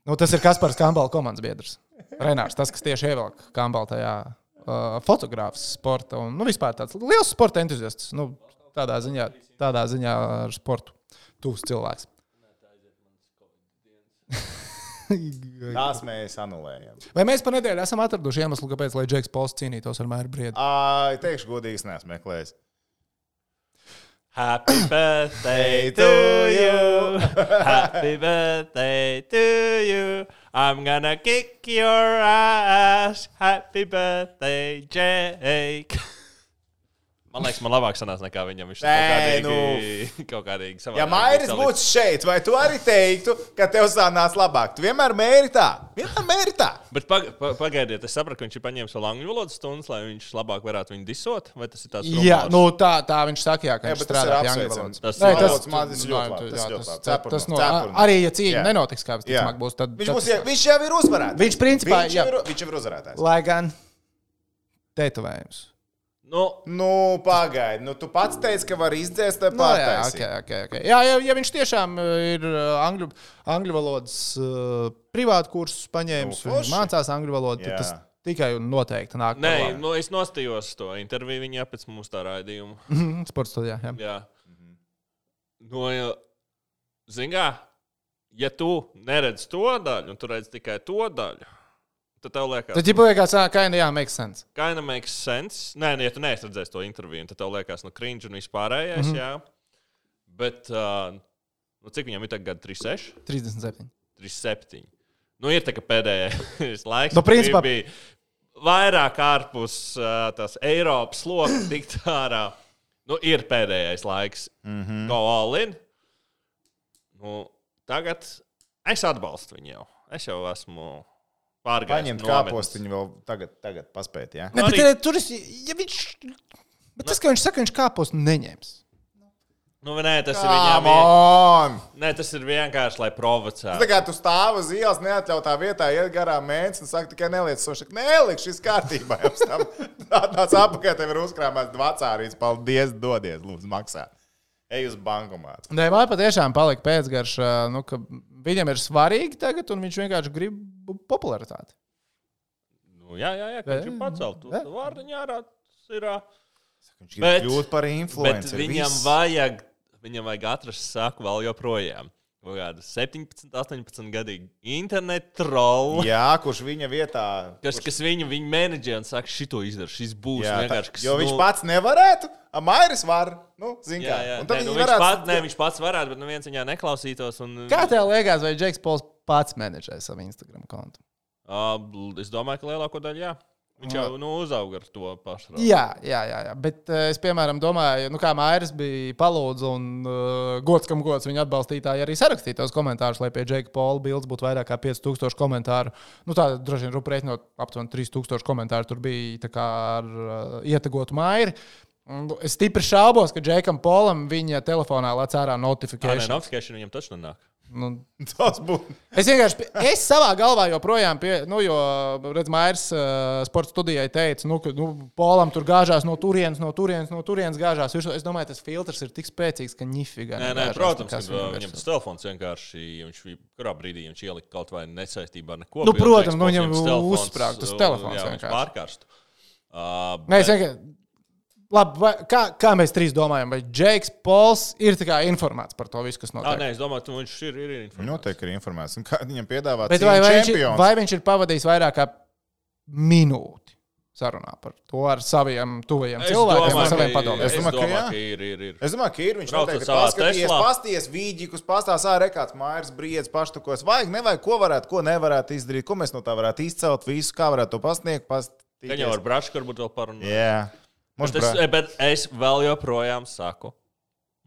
Nu, tas ir Kaspars Kambala komandas biedrs. Renārs, tas, kas tieši ievelk Kambala tajā uh, fotogrāfs sporta. Un, nu, vispār tāds liels sporta entuziasts. Nu, tādā ziņā, tādā ziņā ar sportu tuvs cilvēks. Tās mēs anulējam. Vai mēs pa nedēļu esam atraduši iemeslu, kāpēc, lai Džeks Pols cīnītos ar Mairu Briedu? Ai, teikšu godīgi, es neesmu meklējis. Happy birthday to you. Happy birthday to you. I'm gonna kick your ass. Happy birthday, Jake. Man liekas, man labāk sanās nekā viņam. Viņš ir Nē, kaut kādīgi, nu. kaut kādīgi savādāk. Ja Mairis būtu šeit, vai tu arī teiktu, ka tev sanāca labāk? Tu vienmēr mēri tā. Vienmēr mēri tā. Bet pag pa pagaidiet, es sapratu, ka viņš ir paņēmis vēl angļu valodas stundas, lai viņš labāk varētu viņu disot. Vai tas ir tāds Jā, rumors? nu tā, tā viņš saka, jā, ka Jā, viņš bet tas ir strādā pie angļu apsveicami. valodas. Tas Nē, ir valodas mācības jā, ļoti labi, tas jā, ļoti tas- labi. tas Cepurnos, no- cepurnos. Arī, ja cīņa Jā. nenotiks, kā Jā. visticamāk būs, tad Viņš, tad būs, tas- jau- viņš jau ir uzvarētājs. Viņš principā, viņš jā. jau ir, viņš jau ir uzvarētājs. Lai gan tetovējums. Nu, Nu, pagaidi. Nu, tu pats teici, ka var izdzēst vai Nu, jā, pārtaisīt. okay, okay, okay. jā, ja, ja viņš tiešām uh, ir uh, angļu, angļu valodas uh, privātu kursus paņēmis, Nu, viņš forši. mācās angļu valodu, Jā. tad tas tikai un noteikti nāk nē, par labu. nu, es nostījos to interviju viņā pēc mūsu tā raidījuma. Mhm, sports studijā, jā. Jā. No, zingā, ja tu neredzi to daļu, un tu redzi tikai to daļu, tad tev liekas, Tad, ja liekas, ka jā, makes sense. kind of makes sense. Nē, ja tu neesi redzējis to interviju, tad tev liekas, nu, cringe un vispārējais, mm -hmm. jā. Bet, uh, nu, cik viņam ir tagad trīs seši? trīsdesmit septiņi. trīs septiņi. Nu, ir tā, ka pēdējais laiks Nu, principā- bija vairāk ārpus uh, tās Eiropas loka tikt ārā. Nu, ir pēdējais laiks. Mm -hmm. Go all in. Nu, tagad es atbalstu viņu jau. Es jau esmu pārgājis. Paņemt no kāpostiņu vēl tagad, tagad paspēt, jā? Ne, Arī- bet arī... tur es, ja viņš, bet tas, ka viņš saka, viņš kāpos neņems. Nu, nē, tas ir viņam. Come on! Nē, tas ir vienkārši, lai Tā provocētu. kā tu stāv uz ielas, neatļautā vietā, iet garām mēnesis un saka, tikai neliec soši. Neliek, šis kārtībā. Tāds apakaļ tev ir uzkrāmēts vecārīts. Paldies, dodies, lūdzu, maksā. Ej uz bankomātu. Nē, man patiešām palika pēcgarša, nu, ka viņam ir svarīgi tagad, un viņš vienkārši grib popularitāti. Nu, jā, jā, jā, ka viņš ir Jā, pacelt. Tu jā. vārdiņā ārā tas ir. ā, Viņš grib Bet- kļūt par Bet influenceru. viņam viss. vajag, viņam vajag atrast saku vēl joprojām. septiņpadsmit, astoņpadsmit gadīgi internetu trollu. Jā, kurš viņa vietā. Kas, kurš... kas viņu, viņu menedžē un saka, šito izdara, šis būs jā, vienkārši. Kas, jo nu... viņš pats nevarētu, a Mairis var. Nu, zin kā. Jā, jā. Nē, nu, viņš, varētu... pat, nē, viņš pats varētu, bet neviens viņā neklausītos. Un... Kā tev liekas, vai Džeks Pols pats menedžē savu Instagram kontu? Uh, es domāju, ka lielāko daļu jā. Viņš jau nu, uzauga ar to pašu. Jā, jā, jā, jā. Bet uh, es, piemēram, domāju, nu, kā Mairis bija palūdzu un uh, gods, kam gods viņa atbalstītāji arī sarakstīja tos komentārus, lai pie Džeka Pola bildes būtu vairāk kā pieci tūkstoši komentāru. Nu, tā droši vien rupu reiķinot aptuveni trīs tūkstoši komentāru tur bija tā kā ar uh, ietegotu Mairi. Es stipri šaubos, ka Džekam Polam viņa telefonā lec ārā notifikācija. Nē, notifikācija viņam taču nenāk. Nu, tas būtu. Es vienkārši, es savā galvā joprojām, pie, nu, jo, redz, Mairis uh, sporta studijai teica, nu, ka, nu, Polam tur gāžās no turienes, no turienes, no turienes gāžās. Es domāju, tas filtrs ir tik spēcīgs, ka ņifigā. Nē, nē, protams, ka viņam tas telefons vienkārši, viņš kurā brīdī viņš ielika kaut vai nesaistībā ar neko. Nu, protams, nu, viņam uzsprāgt tas telefons jā, vienkārši. Pārkarstu. Uh, nē, es vienkārši. Labi, vai, kā, kā mēs trīs domājam, vai Džeks Pols ir informēts par to visu, kas notiek? À, nē, es domāju, ka viņš ir, ir informēts. Noteikti ir informēts. Un kā viņam piedāvā Bet vai, vai, viņš ir, vai viņš ir pavadījis vairāk kā minūti sarunā par to ar saviem tuvajiem es cilvēkiem, domāju, ar saviem padomiem? Es domāju, ka, domāju, ka ir, ir, ir. Es domāju, ka ir. Viņš noteikti ir paskatījies, pasties vīģikus, pastās ārā kāds Mairis briedz paštukos. Vajag, nevajag, ko varētu, ko nevarētu izdarīt, ko mēs no tā varētu izcelt, visu, kā varētu to pasniegt. Gan jau ar Brašku varbūt vēl parunāt. Jā. Bet es, bet es vēl joprojām saku,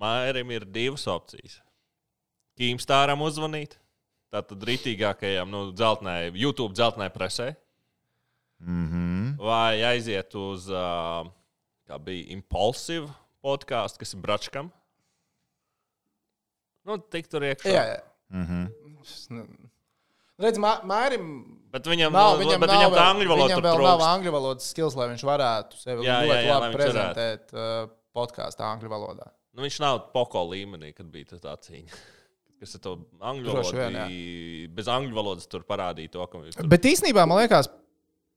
Mairim ir divas opcijas. Keemstāram uzvanīt, tātad ritīgākajam, nu, dzeltnē, YouTube dzeltnē presē. Mm-hmm. Vai aiziet uz, uh, kā bija, Impulsive podcastu, kas ir Bračkam. Nu, tik tur iekšā. Jā, jā. Mm-hmm. Redz, Mairim... Bet viņam nav, no, viņam bet nav, viņam tā angļu valoda viņam vēl nav angļu valodas skills, lai viņš varētu sevi jā, ļoti jā, jā, labi prezentēt uh, podkāstu angļu valodā. Nu, viņš nav poko līmenī, kad bija tā cīņa. Kas ar to angļu valodu bija, bez angļu valodas tur parādīja to, ka viņš tur... Bet īstenībā, man liekas,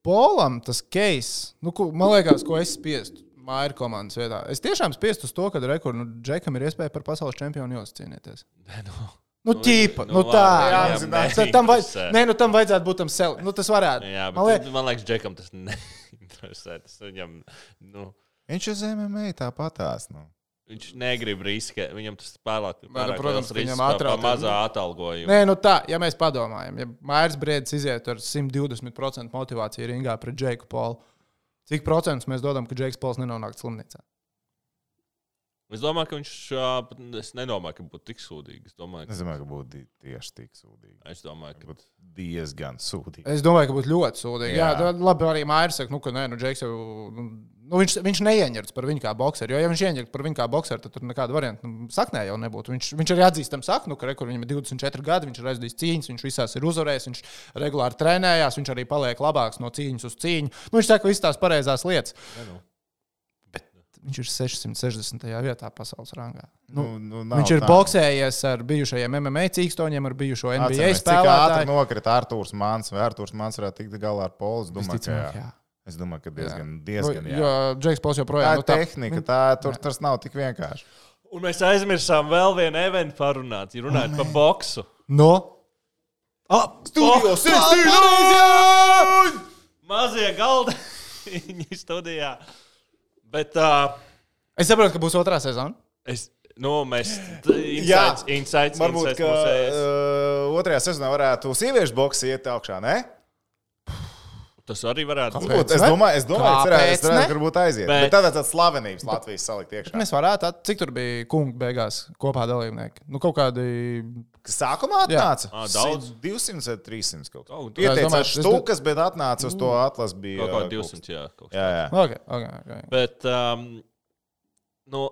Polam tas case, nu, ko, man liekas, ko es spiestu Maira komandas vietā. Es tiešām spiestu uz to, ka rekur, nu, Džekam ir iespēja par pasaules čempionu jūs cīnīties. Nē, nu... Nu, ķīpa, nu, nu tā. Jā, jā, tam, vaj... Nē, nu, tam vajadzētu būt tam sev. Nu, tas varētu. Jā, bet man, liek... man liekas, Džekam tas neinteresē. Tas viņam, nu... Viņš uz M M A tāpatās, nu. Viņš negrib riskēt. Viņam tas pārāk, pārāk nu, protams, risks par, par mazā atalgojumu. Nē, nu tā, ja mēs padomājam, ja Mairis Briedis iziet ar simt divdesmit procentu motivāciju ringā pret Džeku Polu, cik procentus mēs dodam, ka Džeks Pols nenonāk slimnīcā? Es domāju, ka viņš. Es nedomāju, ka būtu tik sūdīgi. Es domāju, ka, es domāju, ka būtu tieši tik sūdīgi. Es domāju, ka būtu diezgan sūdīgi. Es domāju, ka būtu ļoti sūdīgi. Jā, Jā labi, arī Mairis saka, nu, ka nē, nu, Džeks jau. Nu, viņš, viņš neieņemts par viņu kā bokseru. Jo, ja viņš ieņemts par viņu kā bokseru, tad tur nekāda varianta nu, saknē jau nebūtu. Viņš, viņš arī atzīstam saknu, ka rekur viņam ir divdesmit četri gadi, viņš ir aizdījis cīņas, viņš visās ir uzvarējis, viņš regulāri trenējās, viņš arī paliek labāks no cīņas uz cīņu. Nu, viņš saka visas tās pareizās lietas. Ja, nu. Viņš ir sešsimt sešdesmitajā vietā pasaules rangā. Nu, nu, nu, viņš ir tā. Boksējies ar bijušajiem M M A cīkstoņiem, ar bijušo N B A Atceries, spēlētāju. Cik ātri nokrita Artūrs Mans, vai Artūrs Mans varētu tikt galā ar Polu? Es domāju, ka jā. jā. Es domāju, ka diezgan, jā. diezgan jā. Jo Džeks Pols joprojām... Tā ir nu, tā, tehnika, tā, tur jā. Tas nav tik vienkārši. Un mēs aizmirsām vēl vienu eventu parunāt, ja runājot oh, par boksu. No? Ah, studijos! Mazie galdi viņi studijā. Bet, uh, es saprotu, ka būs otrā sezona. Es, nu, mēs insights, insights, varbūt, insights ka uh, otrajā sezonā varētu sieviešu boksi iet augšā, ne? Tas arī varētu būt. Es domāju, es domāju, ka tas varētu būt aiziet. Bet, bet tad tāds slavenības Latvijas salikt iekšā. Mēs varētu, cik tur bija kungi beigās kopā dalībnieki? Nu, kaut kādi... Kas sākumā atnāca? Jā, daudz. divsimt vai trīsimt kaut kā. Ieteicās štukas, bet atnāca uz to atlas bija... Kaut kā divsimt, jā. Jā, jā. Okay, okay, okay. Bet, um, nu,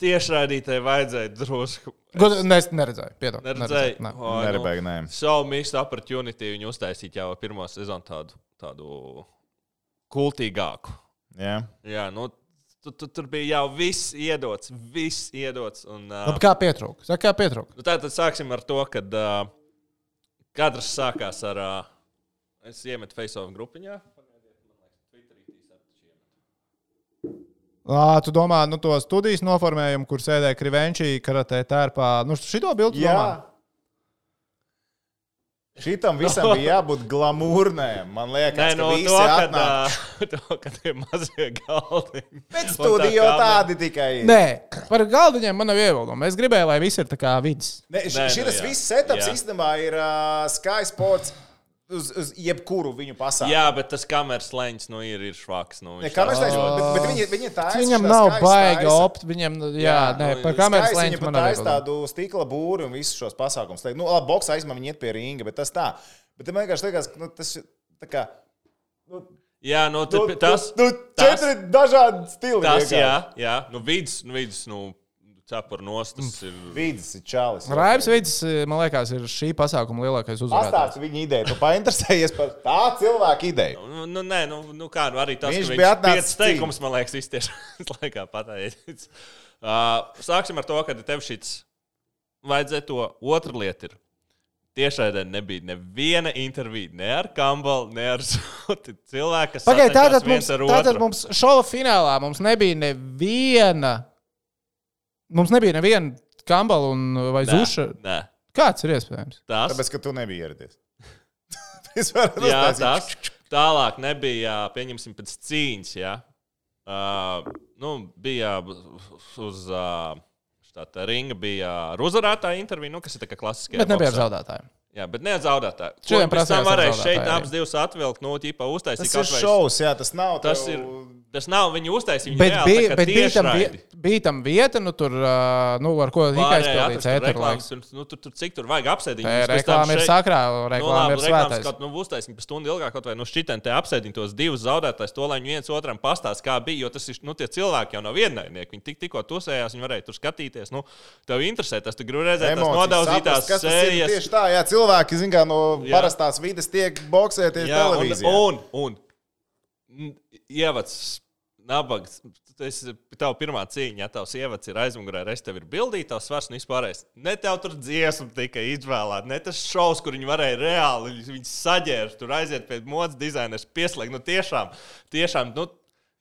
tiešraidītēji vajadzēja drusku... Es ne, neredzēju, piedod. Neredzēju. Ne. Oh, Nerebēju, nē. So missed opportunity viņu uztaisīt jau pirmo sezonu tādu, tādu kultīgāku. Jā. Jā, nu, tu, tu, tur bija jau viss iedots, viss iedots. Un, uh, Labi, kā pietrūka? Saka, kā pietrūka? Nu, tātad sāksim ar to, kad uh, kadrs sākās ar... Uh, es iemetu face-off grupiņā. Ā, tu domā, nu, to studijas noformējumu, kur sēdēja Krivenčī, karatē tērpā. Nu, šito bildu Jā. domā? Šitam visam bija jābūt glamūrnēm. Man liekas, Nē, ka no visi to, kad, atnāk. ā, to, kad tie mazie galdi. Bet studija jau tādi tikai ir. Nē, par galdiņiem man nav iebildumi. Es gribēju, lai viss ir tā kā vids. Ne, Nē, šis nu, jā. viss setups Jā. īstenībā ir uh, Sky Sports uz, uz jebkuru viņu pasākumu. Jā, bet tas kameras leņķis nu, ir, ir švaks. Nu, Ne, viņš kameras tāds- leņķis, bet, bet viņi, viņi taisa Viņam šitā nav Sky baigi taisa- opt, viņam, jā, nē, nu, par kameras Sky lēņķi viņa man pat nav taisa iebildumi. tādu stikla būru un visus šos pasākumus. Nu, labi, boksā aizmā viņi iet pie ringa, bet tas tā. Bet man vienkārši liekas, ka nu, tas ir tā kā... Nu, Jā, nu, nu, t- tas, nu, tas, četri dažādi stili. tas, vienkārši. jā, jā, nu, vidus, nu, vidus, nu, cepur nost, tas ir. Vīdis ir čalis. Raivis Vidis, man liekas, ir šī pasākuma lielākais uzvarētājs. Pastāsti viņa ideju. Tu painteresējies par tā cilvēka ideju. Nu, nu, nē, nu, nu kā, nu, arī tas, Viņš ka bija viņš atnācis piecas teikumus, man liekas, viss tieši laikā pateicis. Uh, sāksim ar to, ka tev šits vajadzēja to. Otra lieta ir. Tiešraidē nebija neviena intervija, ne ar Kambalu, ne ar Zuti. Cilvēki, kas Pagaid, satiekās tātad mums, viens ar tātad otru. mums šova finālā mums nebija neviena, mums nebija neviena Kambala un vai Nē, Zuša. Nē, Kāds ir iespējams? tas. Tāpēc, ka tu nebija ieradies. Es varu Jā, uztaisīt. tas. Tālāk nebija, pieņemsim, pēc cīņas, jā. Uh, nu, bija uz uh, štāta ringa, bija ar uzvarētāju interviju, nu, kas ir tā kā klasiskajā Bet nebija ar boksā. zaudētājiem. Jā, bet ne ar zaudētāju. Šodien Ko pēc prasījās tam ar varēja zaudētāju šeit arī. abas divas atvilkt, nu, ķipa uztaisīt. Tas ir šovs, jā, tas nav. Tas tev- ir- Tas nav viņu uztaisīt, viņi Bet reāli bija, tā kā bet bija, tam, tiešraidi. vie- bija tam vieta, nu, tur, ā, nu, ar ko tika Pārējie aizpildīts atrast tur ēteru reklāmas, laiks. tur, nu, tur, tur cik tur vajag apsēdīt. Te reklāma ir sakrā, reklāma ir svētais. Kaut nu uztaisīt pa stundu ilgāk, kaut vai nu šitien te apsēdīt tos divus zaudētājus, to, lai viņi viens otram pastāst, kā bija, jo tas ir, nu, tie cilvēki jau nav viennaidnieki. Viņi tik, tikko tusējās, viņi varēja tur skatīties, nu, tev interesē tas, tu gribi redzēt tās Emocijas, nodauzītās saprast, kas tas ir. sērijas. Tieši tā, jā, cilvēki, zin kā, no Jā. parastās vides tiek boksēties Jā, televīzijā. un, un, un ievads, nabags, tas ir tava pirmā cīņa, ja tavs ievads ir aizmugurē, reiz tev ir bildīta, tavs svars un vispārējais. Ne tev tur dziesma tikai izvēlēta, ne tas šovs, kur viņi varēja reāli, viņi saģērt, tur aiziet pie modes dizainers, pieslēgt, nu tiešām, tiešām, nu,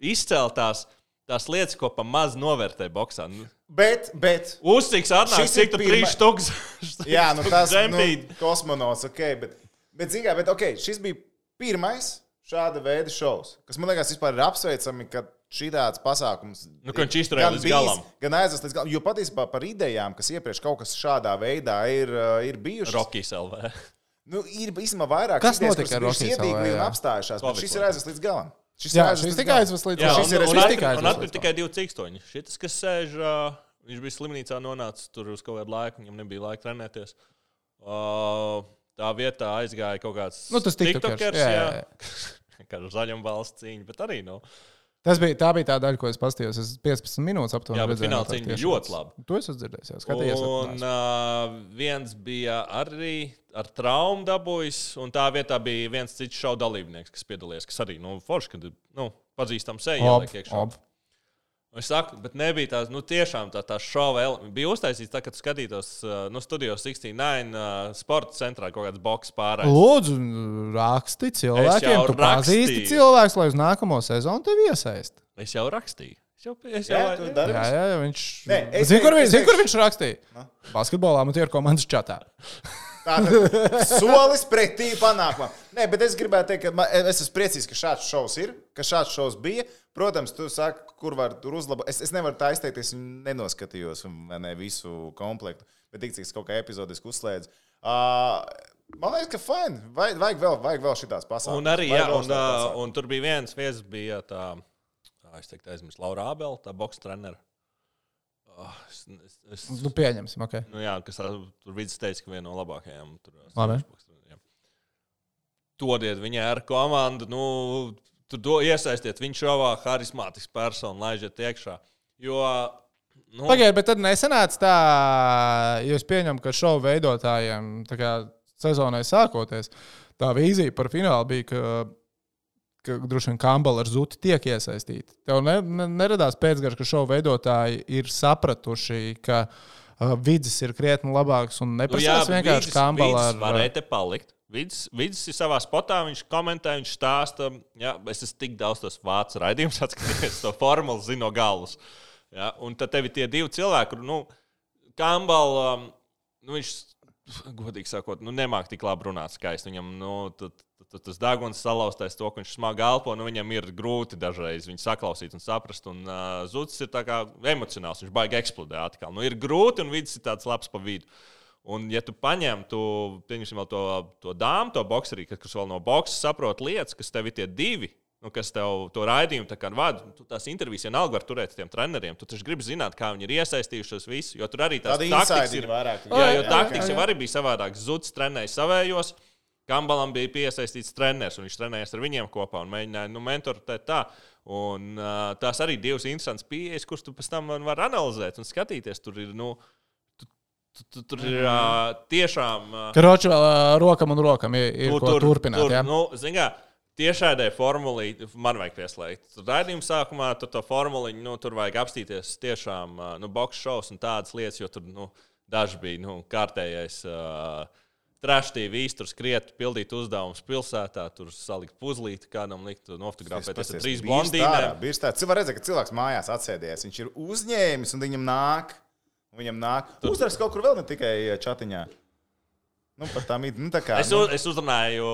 izceltās tās lietas, ko pa maz novērtē boksā. Nu, Bet, bet, uzciks atnāk, Šis ir cik tur pirma- trīs štuks. jā, nu tas ir Džempīt. kosmonauts, ok, bet, bet zin kā, bet ok, šis bija pirmais šāda veida šovs, kas man liekas vispār ir apsveicami, ka šī tāds pasākums Nu, ka viņš izturēja gan līdz bijis, galam. gan aizvest līdz galam, jo patiesībā par idejām, kas iepriekš kaut kas šādā veidā ir, uh, ir bijušas. Rokijs L V. Nu, ir īstenībā vairāk Kas idejas, notika kuras ar bijušas Rockies iedīgli L V, un jā? apstājušās, bet Covid šis ir aizvest līdz galam. Šis Jā, ir aizvest šis līdz tikai galam. aizvest līdz Jā, galam. un, šis ir un, šis un, tikai un aizvest atpakaļ līdz tikai divi cikstoņi. Šis, kas sēž, uh, viņš bija slimnīcā nonācis tur uz kaut kādu laiku, viņam nebija laika trenēties. Uh, tā vietā aizgāja kaut kāds Nu, tas tiktokers, tiktokers, jā, jā. jā, Kā ar zaļam valsts cīņu, bet arī, nu. Tas bija, tā bija tā daļa, ko es paskatījos. Es piecpadsmit minūtes aptuveni Jā, bet redzēju fināla no tā cīņa bija tieši ļoti tāds. laba. To es esmu dzirdējis, jā, skatījies. Un uh, viens bija arī ar traumu dabūjis, un tā vietā bija viens cits šau dalībnieks, kas piedalījās, kas arī, nu, forši, kad, nu, pazīstam seju ieliek iekšā. Ob. Es saku, bet nebija tās, nu, tiešām tā, tā šova elements. Bija uztaisīts tā, kad skatītos, uh, nu, studijos sešdesmit deviņi uh, sporta centrā kaut kāds boks pārējais. Lūdzu, raksti cilvēkiem, jau tu pazīsti rakstīju. cilvēks, lai uz nākamo sezonu tevi iesaist. Es jau rakstīju. Es jau, es jau, Jā, tu dari Jā, visu. jā, jā, viņš. Nē, es Zini, kur, teikšu- viņš- es zini, kur teikšu- viņš rakstīja? Basketbolā man tie ir komandas čatā. Tātad solis pretī panākumam. Nē, bet es gribētu teikt, ka man, es esmu priecīgs, ka šāds šovs ir, ka šāds šovs bija. Protams, tu saki, kur var tur uzlabot. Es, es nevaru tā izteikties, nenoskatījos vai ne, visu komplektu, bet tik cik es kaut kā epizodiski uzslēdzu. Uh, man liekas, ka fajn. Vajag, vajag vēl, vajag vēl šitās pasākumas. un arī, Vajag jā, vēl un, šitās uh, pasākumus. un tur bija viens viesis, bija tā, tā es teiktu, aizmirst, Laura Abela, tā boks trenera. Oh, es, es, es, Nu, pieņemsim, ok. nu, jā, kas ā, tur vidus teica, ka viena no labākajām. Tur, Labi. jā. Dodiet viņai ar komandu, nu, tur do, iesaistiet viņu šovā, harismātisks persona, laižiet iekšā. Jo, nu, Pagaidiet, bet tad nesenāca tā, jo es pieņemu, ka šovu veidotājiem tā kā sezonai sākoties, tā vīzija par finālu bija, ka, ka droši vien Kambala ar Zuti tiek iesaistīti. Tev ne, ne, neradās pēcgarš, ka šovu veidotāji ir sapratuši, ka uh, vidzis ir krietni labāks un nu, jā, neprasās vienkārši Kambala ar... Varēja te palikt. Vids, vids ir savā spotā, viņš komentē, viņš stāsta. Jā, es esmu tik daudz tos vācu raidījumus atskatījies, to formulu zinu no galvas. Jā, un tad tev ir tie divi cilvēki, nu, Campbell, um, nu, viņš, godīgi sakot, nu, nemāk tik labi runāt skaisti. Viņam, nu, tad, tad tas daguns salauztais to, ka viņš smagi elpo, nu, viņam ir grūti dažreiz viņu saklausīt un saprast. Un uh, Zuds ir tā kā emocionāls, viņš baigi eksplodē atkal. Nu, ir grūti un vids ir tāds labs pa vidu. Un, ja tu paņem, tu pieņemsim vēl to, to dāmu, to bokserī, kas vēl no boksa saprot lietas, kas tev ir tie divi, nu, kas tev to raidījumu tā kā vada, tu tās intervijas vienalga var turēt tiem treneriem, tu taču gribi zināt, kā viņi ir iesaistījušies visu, jo tur arī tās Tādi taktikas ir. Vairāk, jā, jo jā, taktikas jā, jā. jau arī bija savādāks. Zuds trenēja savējos, Campbellam bija piesaistīts treneris, un viņš trenējas ar viņiem kopā un mēģināja, nu, mentorēt tā. Un uh, tās arī divas interesantas pieejas, kuras tu pēc tam var analizēt un skatīties. Tur ir, nu, Tur, tur ir uh, tiešām. Uh, Kroči vēl uh, rokam un rokam ir, ir tur, ko tur, turpināt. Tur, jā? Nu, zin kā, tiešādai formulī man vajag pieslēgt. Raidījuma sākumā tur to formuliņu, nu, tur vajag apstīties tiešām uh, nu, box shows un tādas lietas, jo tur nu, daži bija nu, kārtējais uh, trash T V, tur skriet, pildīt uzdevumus pilsētā, tur salikt puzlīti, kādam likt nofotografēties ar trīs blondīnēm. Cilvēks var redzēt, ka cilvēks mājās atsēdies, viņš ir uzņēmis un viņam nāk. Viņam nāk. Uzrakst kaut kur vēl, ne tikai čatiņā. Nu, par tām id, nu tā kā. Es, nu. es uzrunāju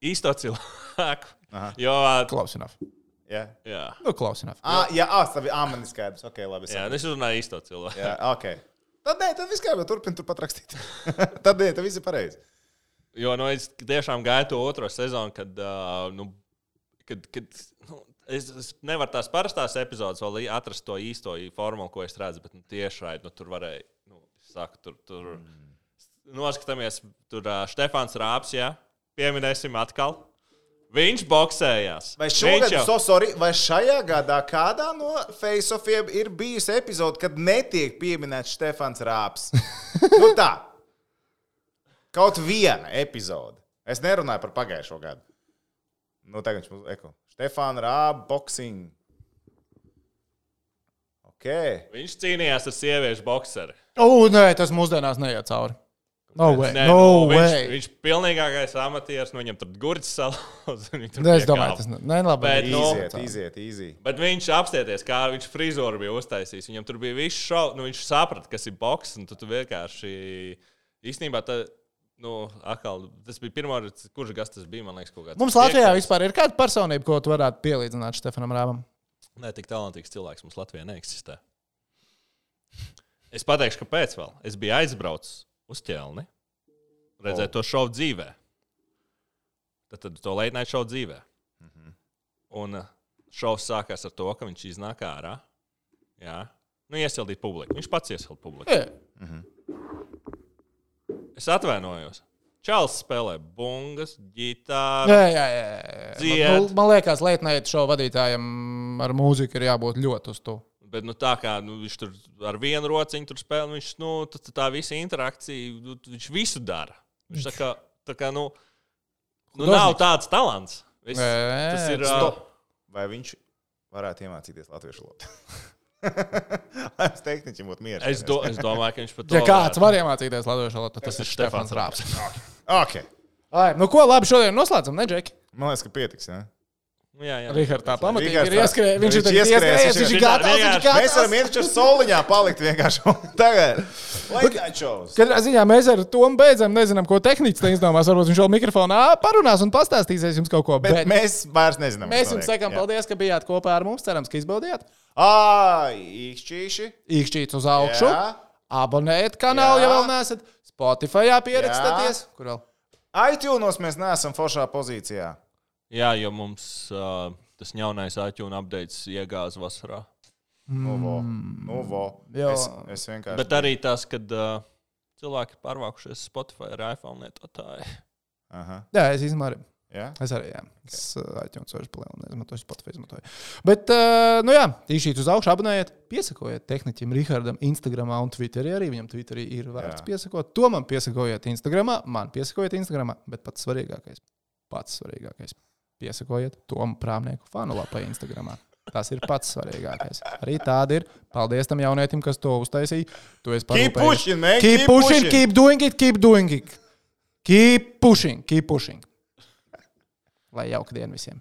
īsto cilvēku. Aha. Jo... Close enough. Jā. Jā. Nu, close enough. Ah, jā, ah, tā bija āmeni skaidrs. Ok, labi. Jā, es uzrunāju īsto cilvēku. Jā, ok. Tad nē, tad viss kā, bet turpin turpat rakstīt. Tad nē, tad viss ir pareizi. Jo, nu, es tiešām gāju to otro sezonu, kad, uh, nu, kad, kad, nu, Es, es nevaru tās parastās epizodes vēl atrast to īsto formulu, ko es redzu, bet nu, tiešraidi nu, tur varēja, nu, saku, tur, tur mm. noskatāmies, tur uh, Štefāns Rāps, jā, pieminēsim atkal. Viņš boksējās. Vai šogad, jau... so sorry, vai šajā gadā kādā no face-offiem ir bijusi epizode, kad netiek pieminēts Štefāns Rāps? Nu tā. Kaut viena epizode. Es nerunāju par pagājušo gadu. Nu, tagad viņš mums eko. Štefāna Rāba, boxing. Ok. Viņš cīnījās ar sieviešu bokseri. O, nē, tas mūsdienās neiet cauri. No way. Nē, no nu, way. Viņš, viņš pilnīgākais amatieris, nu viņam tur gurķis salauz. Es domāju, tas ne labi. Bet, nu, iziet, iziet, easy. Bet viņš apstieties, kā viņš frizūru bija uztaisījis. Viņam tur bija viss šau, nu viņš saprata, kas ir boks, un tu, tu vienkārši īstenībā tā... Nu, akal, tas bija pirmā, kurš gas tas bija, man liekas, kaut kāds. Mums Latvijā piektais. Vispār ir kāda personība, ko tu varētu pielīdzināt Štefanam Rābam? Nē, tik talantīgs cilvēks mums Latvijā neeksistē. Es pateikšu, kāpēc vēl. Es biju aizbraucis uz Ķelni, redzēt oh. to šovu dzīvē. Tad, tad to late night šovu dzīvē. Mm-hmm. Un šovs sākās ar to, ka viņš iznāk ārā. Jā. Nu, iesildīt publiku. Viņš pats iesild publiku. Yeah. Mm-hmm. Es atvainojos. Čāls spēlē bungas, ģitāru. Jā, jā, jā. Man, man liekas, late night show vadītājam ar mūziku ir jābūt ļoti uz to. Bet nu, tā kā nu, viņš tur ar vienu rociņu tur spēlē, viņš nu, tā, tā visa interakcija, nu, viņš visu dara. Viņš tā kā, tā kā nu, nu nav tāds talants. Viss, tas ir... Stop. Vai viņš varētu iemācīties latviešu valodu? Es teiktu, viņam būtu mieres. Es, do, es domāju, ka viņš pat to ja kāds var iemācīties latviešu valodu, tad tas, tas ir Štefāns Rāps. Ok. Ai, nu ko, labi, šodien noslēdzam, ne, Džeki? Man liekas, ka pietiks, jā. Jā, jā. Rihards tā pamatīgi Rihards ir ieskrējis. Viņš ir tagad ieskrējis, viņš ir gatavs, viņš ir gatavs. Mēs varam iet ar soliņā palikt vienkārši. Tagad. Katrā ziņā mēs ar Tomu beidzam, nezinām, ko tehniķis te izdomās. Varbūt viņš vēl mikrofonā parunās un pastāstīsies jums kaut ko. Bet, bet mēs vairs nezinām. Mēs jums sakām paldies, ka bijāt kopā ar mums. Cerams, ka izbaudījāt. Ai, īkšķīši. Īkšķīts uz augšu. Jā. Abonējiet kanālu, ja vēl neesat. Spotifyā pierakstieties. Kur vēl? iTunes mēs neesam foršā pozīcijā. Jā, jo mums uh, tas jaunais iTunes updates iegāza vasarā. Nu, vo. Nu, vo. Es, es vienkārši... Bet arī tas, kad uh, cilvēki pārvākušies Spotify ar iPhone lietotāji. Aha. Jā, es izmēru. Jā? Es arī, jā. Okay. Es uh, iTunes vairs palielinu, izmantoju Spotify izmantoju. Bet, uh, nu jā, tīšīt uz augšu, abonējiet, piesakojiet tehniķim Rihardam Instagramā un Twitterī arī. Viņam Twitterī ir vērts piesakot. To man piesakojiet Instagramā, man piesakojiet Instagramā, bet pats svarīgākais, pats svarīgākais. Piesakojiet Tomu Prāmnieku fanu lapai Instagramā. Tas ir pats svarīgākais. Arī tāda ir. Paldies tam jaunietim, kas to uztaisīja. Tu esi keep pushing, man. Keep, keep pushing, pushing, keep doing it, keep doing it. Keep pushing, keep pushing. Lai jauka diena visiem.